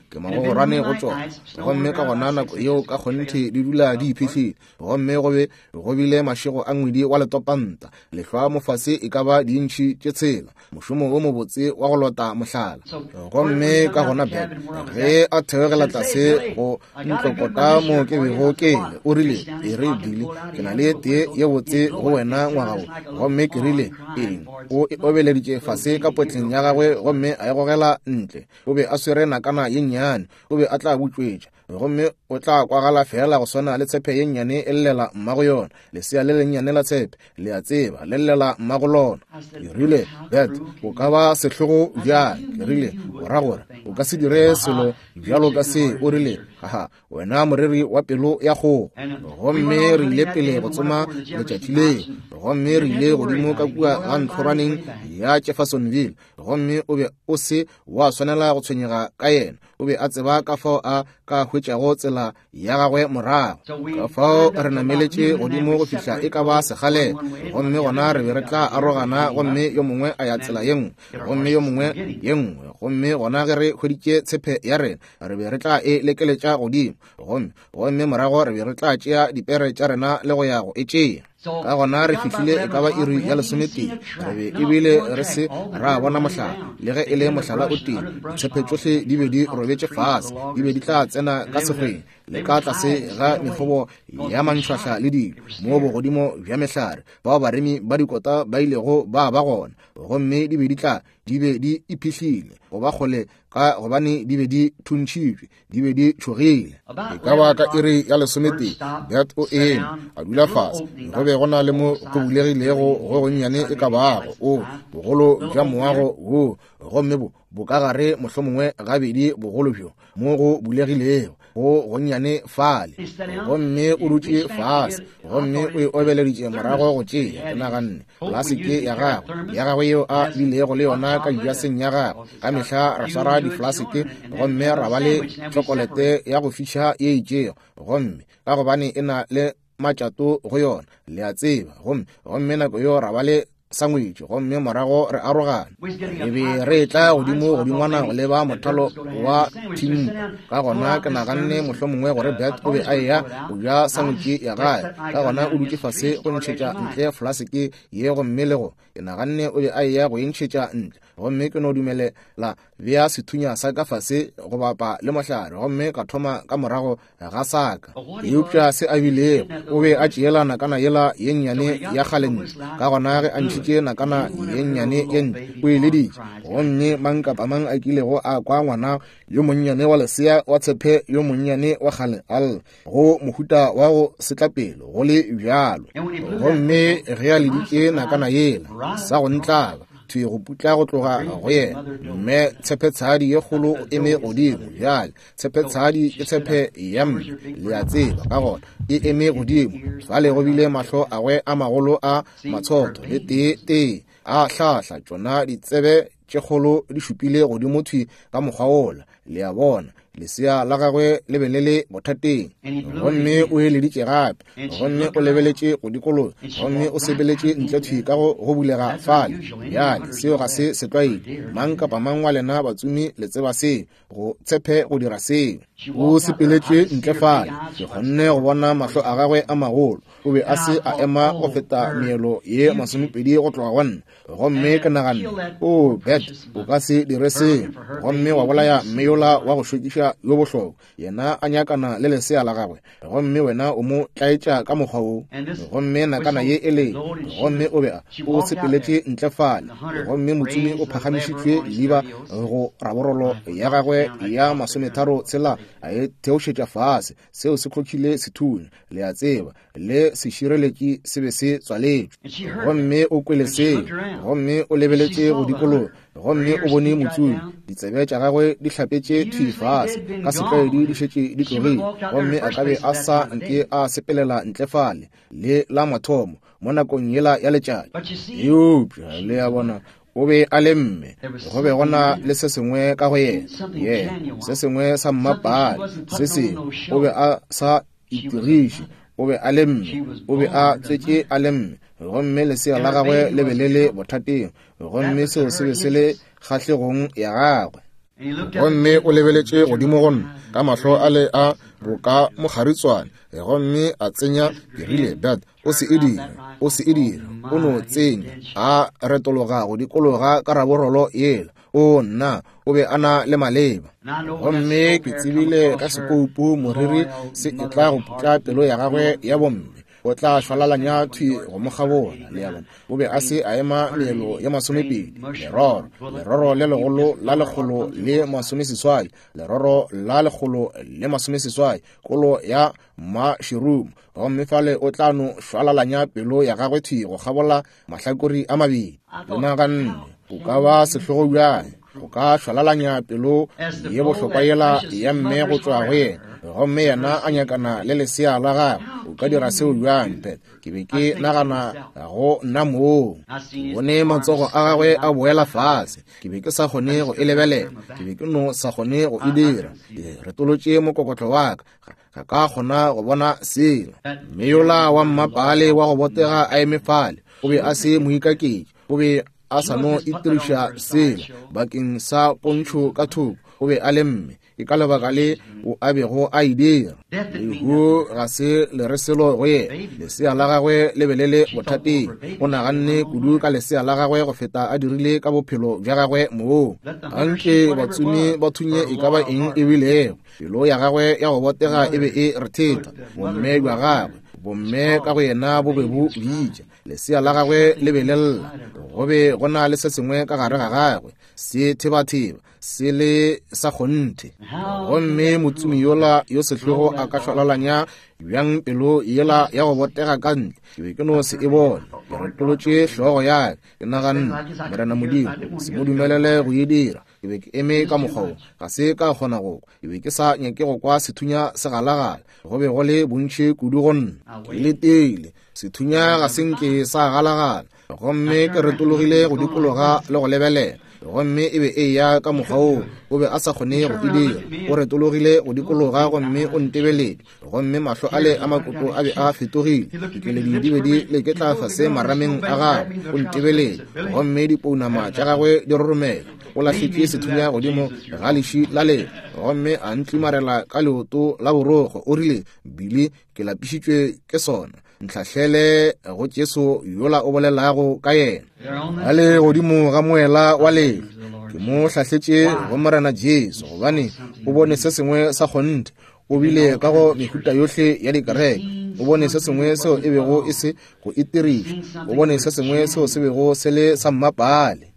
ke magogorwane go tšona. Gomme ka gona nako yeo ka kgonthe di dula di iphihlile. Gomme go be go bile mašego a ngwedi wa letopanta, lehlwa mofase e ka ba diintšhi tše tshela, mošomo wo mobotse wa go lota mohlala. Gomme ka gona Ben, ge a theogela tlase go ntlokota mo ke bego ke le, o rile, E re, Billy, ke na le tee ye botse go wena ngwaga wo. Gomme ke rile, Eng? O e obeleditše fase ka potleng ya gagwe gomme a e gogela ntle. O be a swere nakana ye nnyane, o be a tla butšwetša. Gomme o tla kwagala feela go swana le tshepe ye nnyane e llela mmago yona, lesea le lennyane la tshepe, le a tseba, le llela mmago lona. Ke rile, Bert, o ka ba sehlogo bjang? Ke rile, O ra gore o ka se dire selo bjalo ka se? O rile, Haha, wena moreri wa pelo ya kgogo. Gomme re ile pele go tsoma letšatši leo, gomme re ile godimo ka kua ga ntlhorwaneng ya Jeffersonville, gomme o be o se wa swanela go tshwenyega ka yena. O be a tseba ka fao a ka hwetšago tsela ya gagwe morago. Ka fao re nameletše godimo go fihla e ka ba sekgalela, gomme gona re be re tla arogana, gomme yo mongwe a ya tsela ye nngwe, gomme yo mongwe ye nngwe. Gomme gona ge re hweditše tshepe ya rena, re be re tla e lekeletša godimo, gomme, gomme morago re be re tla tšea dipere tša rena le go ya go e tšea. Ka gona re fihlile e ka ba iri ya lesometee, re be ebile re se ra bona mohlala, le ge e le mohlala o tee. Ditshepe tšohle di be di robetše fase, di be di tla tsena ka sekgweng le ka tlase ga mekgobo ya mantšhwahla le dilo, moo bogodimo bja mehlare bao baremi ba dikota ba ilego ba ba gona, gomme di be di tla di be di iphihlile go ba kgole ka gobane di be di thuntšhitšwe, di be di tšhogile. E ka ba ka iri ya lesometee, Bert o eme, a dula fase. Go be go na le mo go bulegilego go gonnyane e ka bago o bogolo bja moago wo, gomme bo bokagare mohlomongwe gabedi bogolo bjo mo go bulegilego go gonnyane fale. Gomme o dutše fase, gomme o e obeleditše morago go tšea. Ke naganne, Flaseke ya gagwe, ya gagwe yeo a bilego le yona ka dijaseng ya gagwe. Ka mehla re swara diflaseke gomme ra ba le tšhokolete ya go fiša ye itšego, gomme ka gobane e na le matšato go yona, le a tseba. Gomme, gomme nako yeo ra ba le sangwetši, gomme morago re arogana. Re be re etla godimo godingwana go leba mothalo wa thimpa. Ka gona ke naganne mohlomongwe gore Bert o be a eya go ja sangwetši ya gae. Ka gona o dutše fase go ntšhetša ntle flaseke ye, gomme le go, ke naganne o be a eya go e ntšhetša ntle. Gomme ke no dumelela bea sethunya sa ka fase go bapa le mohlare, gomme ka thoma ka morago ga sa ka. Eupša se a bilego, o be a tšeela nakana yela ye nnyane ya kgale ntle. Ka gona ge a ntšhitše nakana ye nnyane ye ntle, o e leditše. Gomme mang kapa mang a kilego a kwa ngwana yo monnyane wa lesea wa tshephe yo monnyane wa kgale a lla, go mohuta wa go setlapelo go le bjalo. Gomme ge a leditše nakana yela, sa go ntlaba thwi go putla go tloga go yena. Mme tshephetshadi ye kgolo o eme godimo bjale. Tshephetshadi ke tshephe ya mme, le a tseba. Ka gona e eme godimo fale, go bile mahlo agwe a magolo a matshotho le tee tee a hlahla, tšona ditsebe tše kgolo di šupile godimo thwi ka mokgwa wola, le a bona. Lesea la gagwe le be le le bothateng. Gomme o eleditše gape, gomme o lebeletše go dikologa, gomme o sepeletše ntle thwi ka go go bulega fale. Bjale, seo ga se setlwaedi. Mang kapa mang wa lena batsomi le tseba seo, go tshepe go dira seo. O sepeletše ntle fale, ke kgonne go bona mahlo a gagwe a magolo. O be a se a ema go feta meelo ye 20 go tloga go nna. Gomme ke naganne, O Bert, o ka se dire seo, gomme wa bolaya mme yola wa go šokiša yo bohlokwa, yena a nyakana le lesea la gagwe, gomme wena o mo tlaetša ka mokgwa wo. Gomme nakana ye e le, gomme o be a, o sepeletše ntle fale, gomme motsomi o phagamišitšwe leeba go raborolo ya gagwe ya 36, a e theošetša fase, seo se hlokhile sethunya, le a tseba, le sešireletši se be se tswaletšwe. Gomme o kwele seo, gomme o lebeletše go dikologa, gomme o bone motsomi, ditsebe tša gagwe di hlapetše thwi fase, ka setlwaedi di šetše di tlogile, gomme a ka be a sa nke a sepelela ntle fale le la mathomo mo nakong yela ya letšatši. Eupša le a bona, o be a le mme, go be go na le se sengwe ka go yena, yena se sengwe sa mmapale, se sengwe, o be a sa itiriše, o be a le mme, o be a tswetše a le mme, gomme lesea la gagwe le be le le bothateng, gomme seo se be se le kgahlegong ya gagwe. Gomme o lebeletše godimo go nna ka mahlo a le a boka mokgaritswane, gomme a tsenya, ke rile, Bert, o se e dire, o se e dire, o no tsenya. A retologa go dikologa ka raborolo yela. O nna, o be a na le maleba. Gomme ke tsebile ka sekoupu moriri se e tla go putla pelo ya gagwe ya bomme, o tla šwalalanya thwi go mo kgabola. Le a bona, o be a se a ema meelo ya 20, leroro, leroro le legolo la 180, leroro la 180, kolo ya mašerumo, gomme fale o tla no šwalalanya pelo ya gagwe thwi go kgabola mahlakori a mabedi. Ke naganne, o ka ba sehlogo bjang, o ka šwalalanya pelo ye bohlokwa yela ya mme go tšwa go yena, gomme yena a nyakana le lesea la gagwe. O ka dira seo bjang, Pat? Ke be ke nagana go nna moo. Ke bone matsogo a gagwe a boela fase. Ke be ke sa kgone go e lebelela. Ke be ke no sa kgone go e dira. Ke retolotše mokokotlo wa ka. Ga ka kgona go bona selo. Mme yola wa mmapale wa go botega a eme fale, o be a se moikaketši, o be a sa no itiriša selo bakeng sa pontšho ka thoko, o be a le mme. Ke ka lebaka le o a bego a e dira. Lehu ga se le re selo go yena. Lesea la gagwe le be le le bothateng. O naganne kudu ka lesea la gagwe go feta a dirile ka bophelo bja gagwe moo. Anke batsomi ba thunye e ka ba eng e bilego. Pelo ya gagwe ya go botega e be e rethetha. Bomme bja gagwe, bomme ka go yena bo be bo bitša. Lesea la gagwe le be le lla. Go be go na le se sengwe ka gare ga gagwe se thebatheba, se le sa kgonthe. Gomme motsomi yola yo sehlogo a ka šwalalanya bjang pelo yela ya go botega ka ntle? Ke be ke no se e bone. Ke retolotše hlogo ya ka, ke naganne, Morena Modimo, se mo dumelele go e dira. Ke be ke eme ka mokgwa wo, ga se ka kgona go kwa. Ke be ke sa nyake go kwa sethunya se galagala, go be go le bontši kudu go nna. Ke letile, sethunya ga se nke sa galagala, gomme ke retologile go dikologa le go lebelela. Gomme e be e eya ka mokgwa woo, o be a sa kgone go e dira. O retologile go dikologa gomme o ntebeletše, gomme mahlo ale a makoto a be a fetogile, dikeledi di be di leketla fase marameng a gagwe. O ntebeletše, gomme dipounama tša gagwe di roromela. O lahletše sethunya godimo ga leši la le, gomme a ntlimarela ka leoto la borokgo. O rile, Billy, ke lapišitšwe ke sona. Ntlhahlele go Jesu yola o bolelago ka yena. A le godimo ga moela wa lelo, ke mo hlahletše go Morena Jesu, gobane o bone se sengwe sa kgonthe. O bile ka go mehuta yohle ya dikereke. O bone se sengwe seo e bego e se go itiriša. O bone se sengwe seo se bego se le sa mmapaale.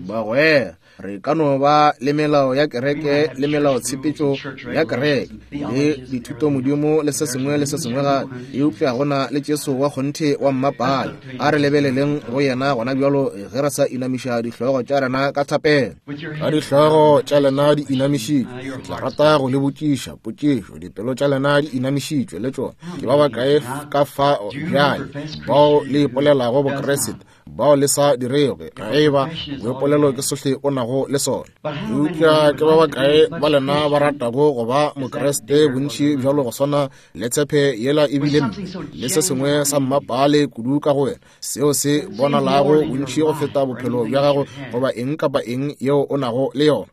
Bagwera, re ka no ba le melao ya kereke le melaotshepetšo ya kereke le dithutomodimo le se sengwe le se sengwe gape, eupša go na le Jesu wa kgonthe wa mmapaale. A re lebeleleng go yena gona bjalo ge re sa inamiša dihlogo tša rena ka thapelo. Ka dihlogo tša lena di inamišitšwe, ke tla rata go le botšiša potšišo. Dipelo tša lena di inamišitšwe le tšona. Ke ba bakae ka fa bjale bao le ipolelago Bokriste bao le sa dirego ge e ba boipolelo ke sohle o nago le sona? Eupša ke ba bakae ba lena ba ratago go ba Mokriste bontši bjalo go swana le tshepe yela e bile mme le se sengwe sa mmapaale kudu ka go wena seo se bonalago bontši go feta bophelo bja gago goba eng kapa eng yeo o nago le yona?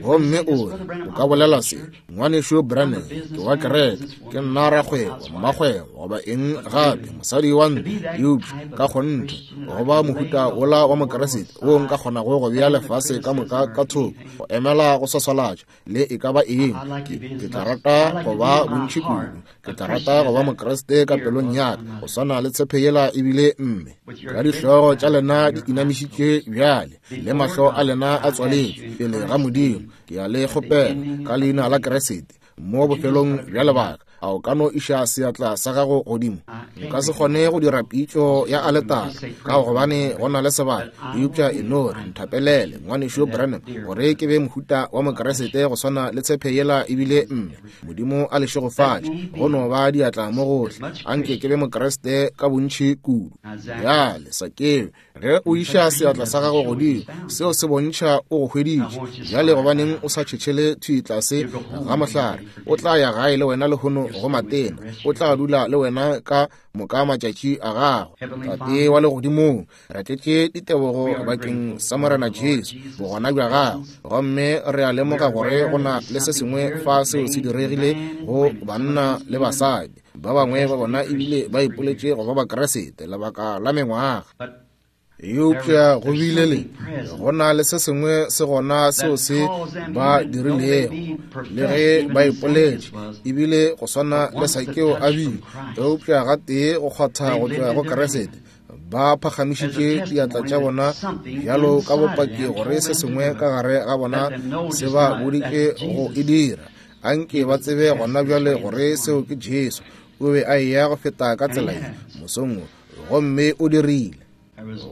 Gomme o re, o ka bolela se, Ngwanešu Branham, ke wa kereke, ke nna rakgwebo, mmakgwebo, goba eng gape, mosadi wa ntlo, eupša ka kgonthe go ba mohuta wola wa Mokeresete wo nka kgonago go bea lefase ka moka ka thoko, go emela go swaswalatša le e ka ba eng, ke tla rata go ba bontši kudu. Ke tla rata go ba Mokriste ka pelong ya ka, go swana le tshepe yela ebile mme. Ka dihlogo tša lena di inamišitšwe bjale, le mahlo a lena a tswaletšwe pele ga Modimo, ke a le kgopela ka leina la Kriste, mo bofelong bja lebaka, a o ka no iša seatla sa gago godimo? Nka se kgone go dira pitšo ya aletara ka gobane go na le sebaka, eupša e no re nthapelele, Ngwanešu Branham, gore ke be mohuta wa Mokriste go swana le tshepe yela ebile mme. Modimo a le šegofatše. Go no ba diatla mo gohle. Anke ke be Mokriste ka bontši kudu. Bjale, Sakeo, ge o iša seatla sa gago godimo, seo se bontšha o go hweditše. Bjale gobaneng o sa tšhetšhele thwi tlase ga mohlare? O tla ya gae le wena lehono go matena. O tla dula le wena ka moka matšatši a gago. Tate wa legodimong, re tletše ditebogo bakeng sa Morena Jesu, bogona bja gagwe, gomme re a lemoga gore go na le se sengwe fa seo se diregile go banna le basadi. Ba bangwe ba bona ebile ba ipoletše go ba Bakriste lebaka la mengwaga. Eupša go bile le go na le se sengwe se gona seo se ba dirilego, le ge ba ipoletše ebile go swana le Sakeo a bile, eupša gatee go kgwatha go tšwa go Kriste, ba phagamišitše diatla tša bona bjalo ka bopaki gore se sengwe ka gare ga bona se ba boditše go e dira. Anke ba tsebe gona bjale gore seo ke Jesu. O be a eya go feta ka tsela ye mosong wo, gomme o dirile.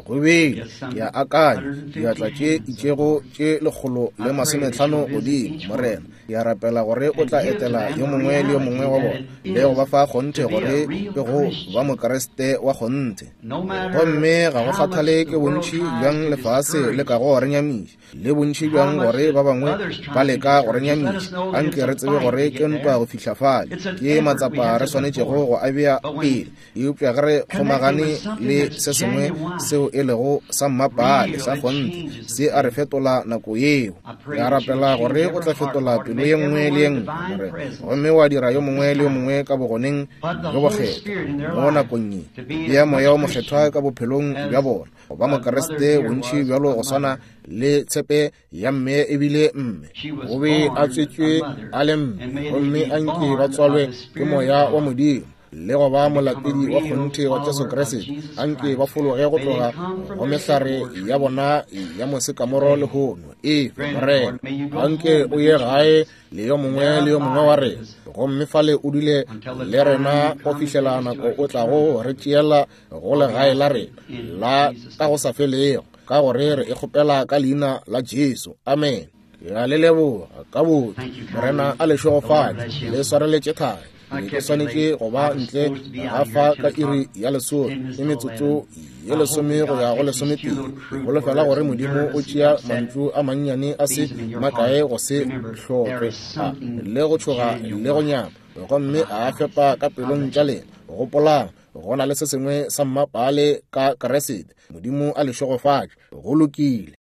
Go bile, ke a akanya, diatla tše itšego tše 150 godimo, Morena. Ke a rapela gore o tla etela yo mongwe le yo mongwe wa bona le go ba fa kgonthe gore ke go ba Mokriste wa kgonthe. Gomme ga go kgathale ke bontši bjang lefase le kago re nyamiša, le bontši bjang gore ba bangwe ba leka go re nyamiša, anke re tsebe gore ke ntwa go fihla fale. Ke matsapa re swanetšego go a bea pele, eupša ge re kgomagane le se sengwe seo e lego sa mmapaale sa kgonthe, se a re fetola nako yeo. Ke a rapela gore o tla fetola pelo ye nngwe le ye nngwe, Morena, gomme wa dira yo mongwe le yo mongwe ka bogoneng bjo bokgethwa mo nakong ye. Bea Moya wo Mokgethwa ka bophelong bja bona, go ba Mokriste bontši bjalo go swana le tshepe ya mme ebile mme o be a tswetšwe a le mme, gomme a nke ba tswalwe ke Moya wa Modimo le go ba molatedi wa kgonthe wa Jesu Kriste. A nke ba fologe go tloga go mehlare ya bona ya mosekamoro lehono. Efe, Morena, a nke o ye gae le yo mongwe le yo mongwe wa rena, gomme fale o dule le rena go fihlela nako o tlago re tšeela go legae la rena la ka go sa felego, ka gore re e kgopela ka leina la Jesu. Amen. Ke a le leboga ka botho. Morena a le šegofatše, le swareletše thari. Ke be ke swanetše go ba ntle ga fa ka iri ya lesome le metsotso ye lesome go ya go lesometee. Ke holofela gore Modimo o tšea mantšu a mannyane a se makae go se hlokwe a le go tšhoga le go nyama, gomme a a fepa ka pelong tša lena. Gopolang, go na le se sengwe sa mmapaale ka Kriste. Modimo a le šegofatše. Go lokile.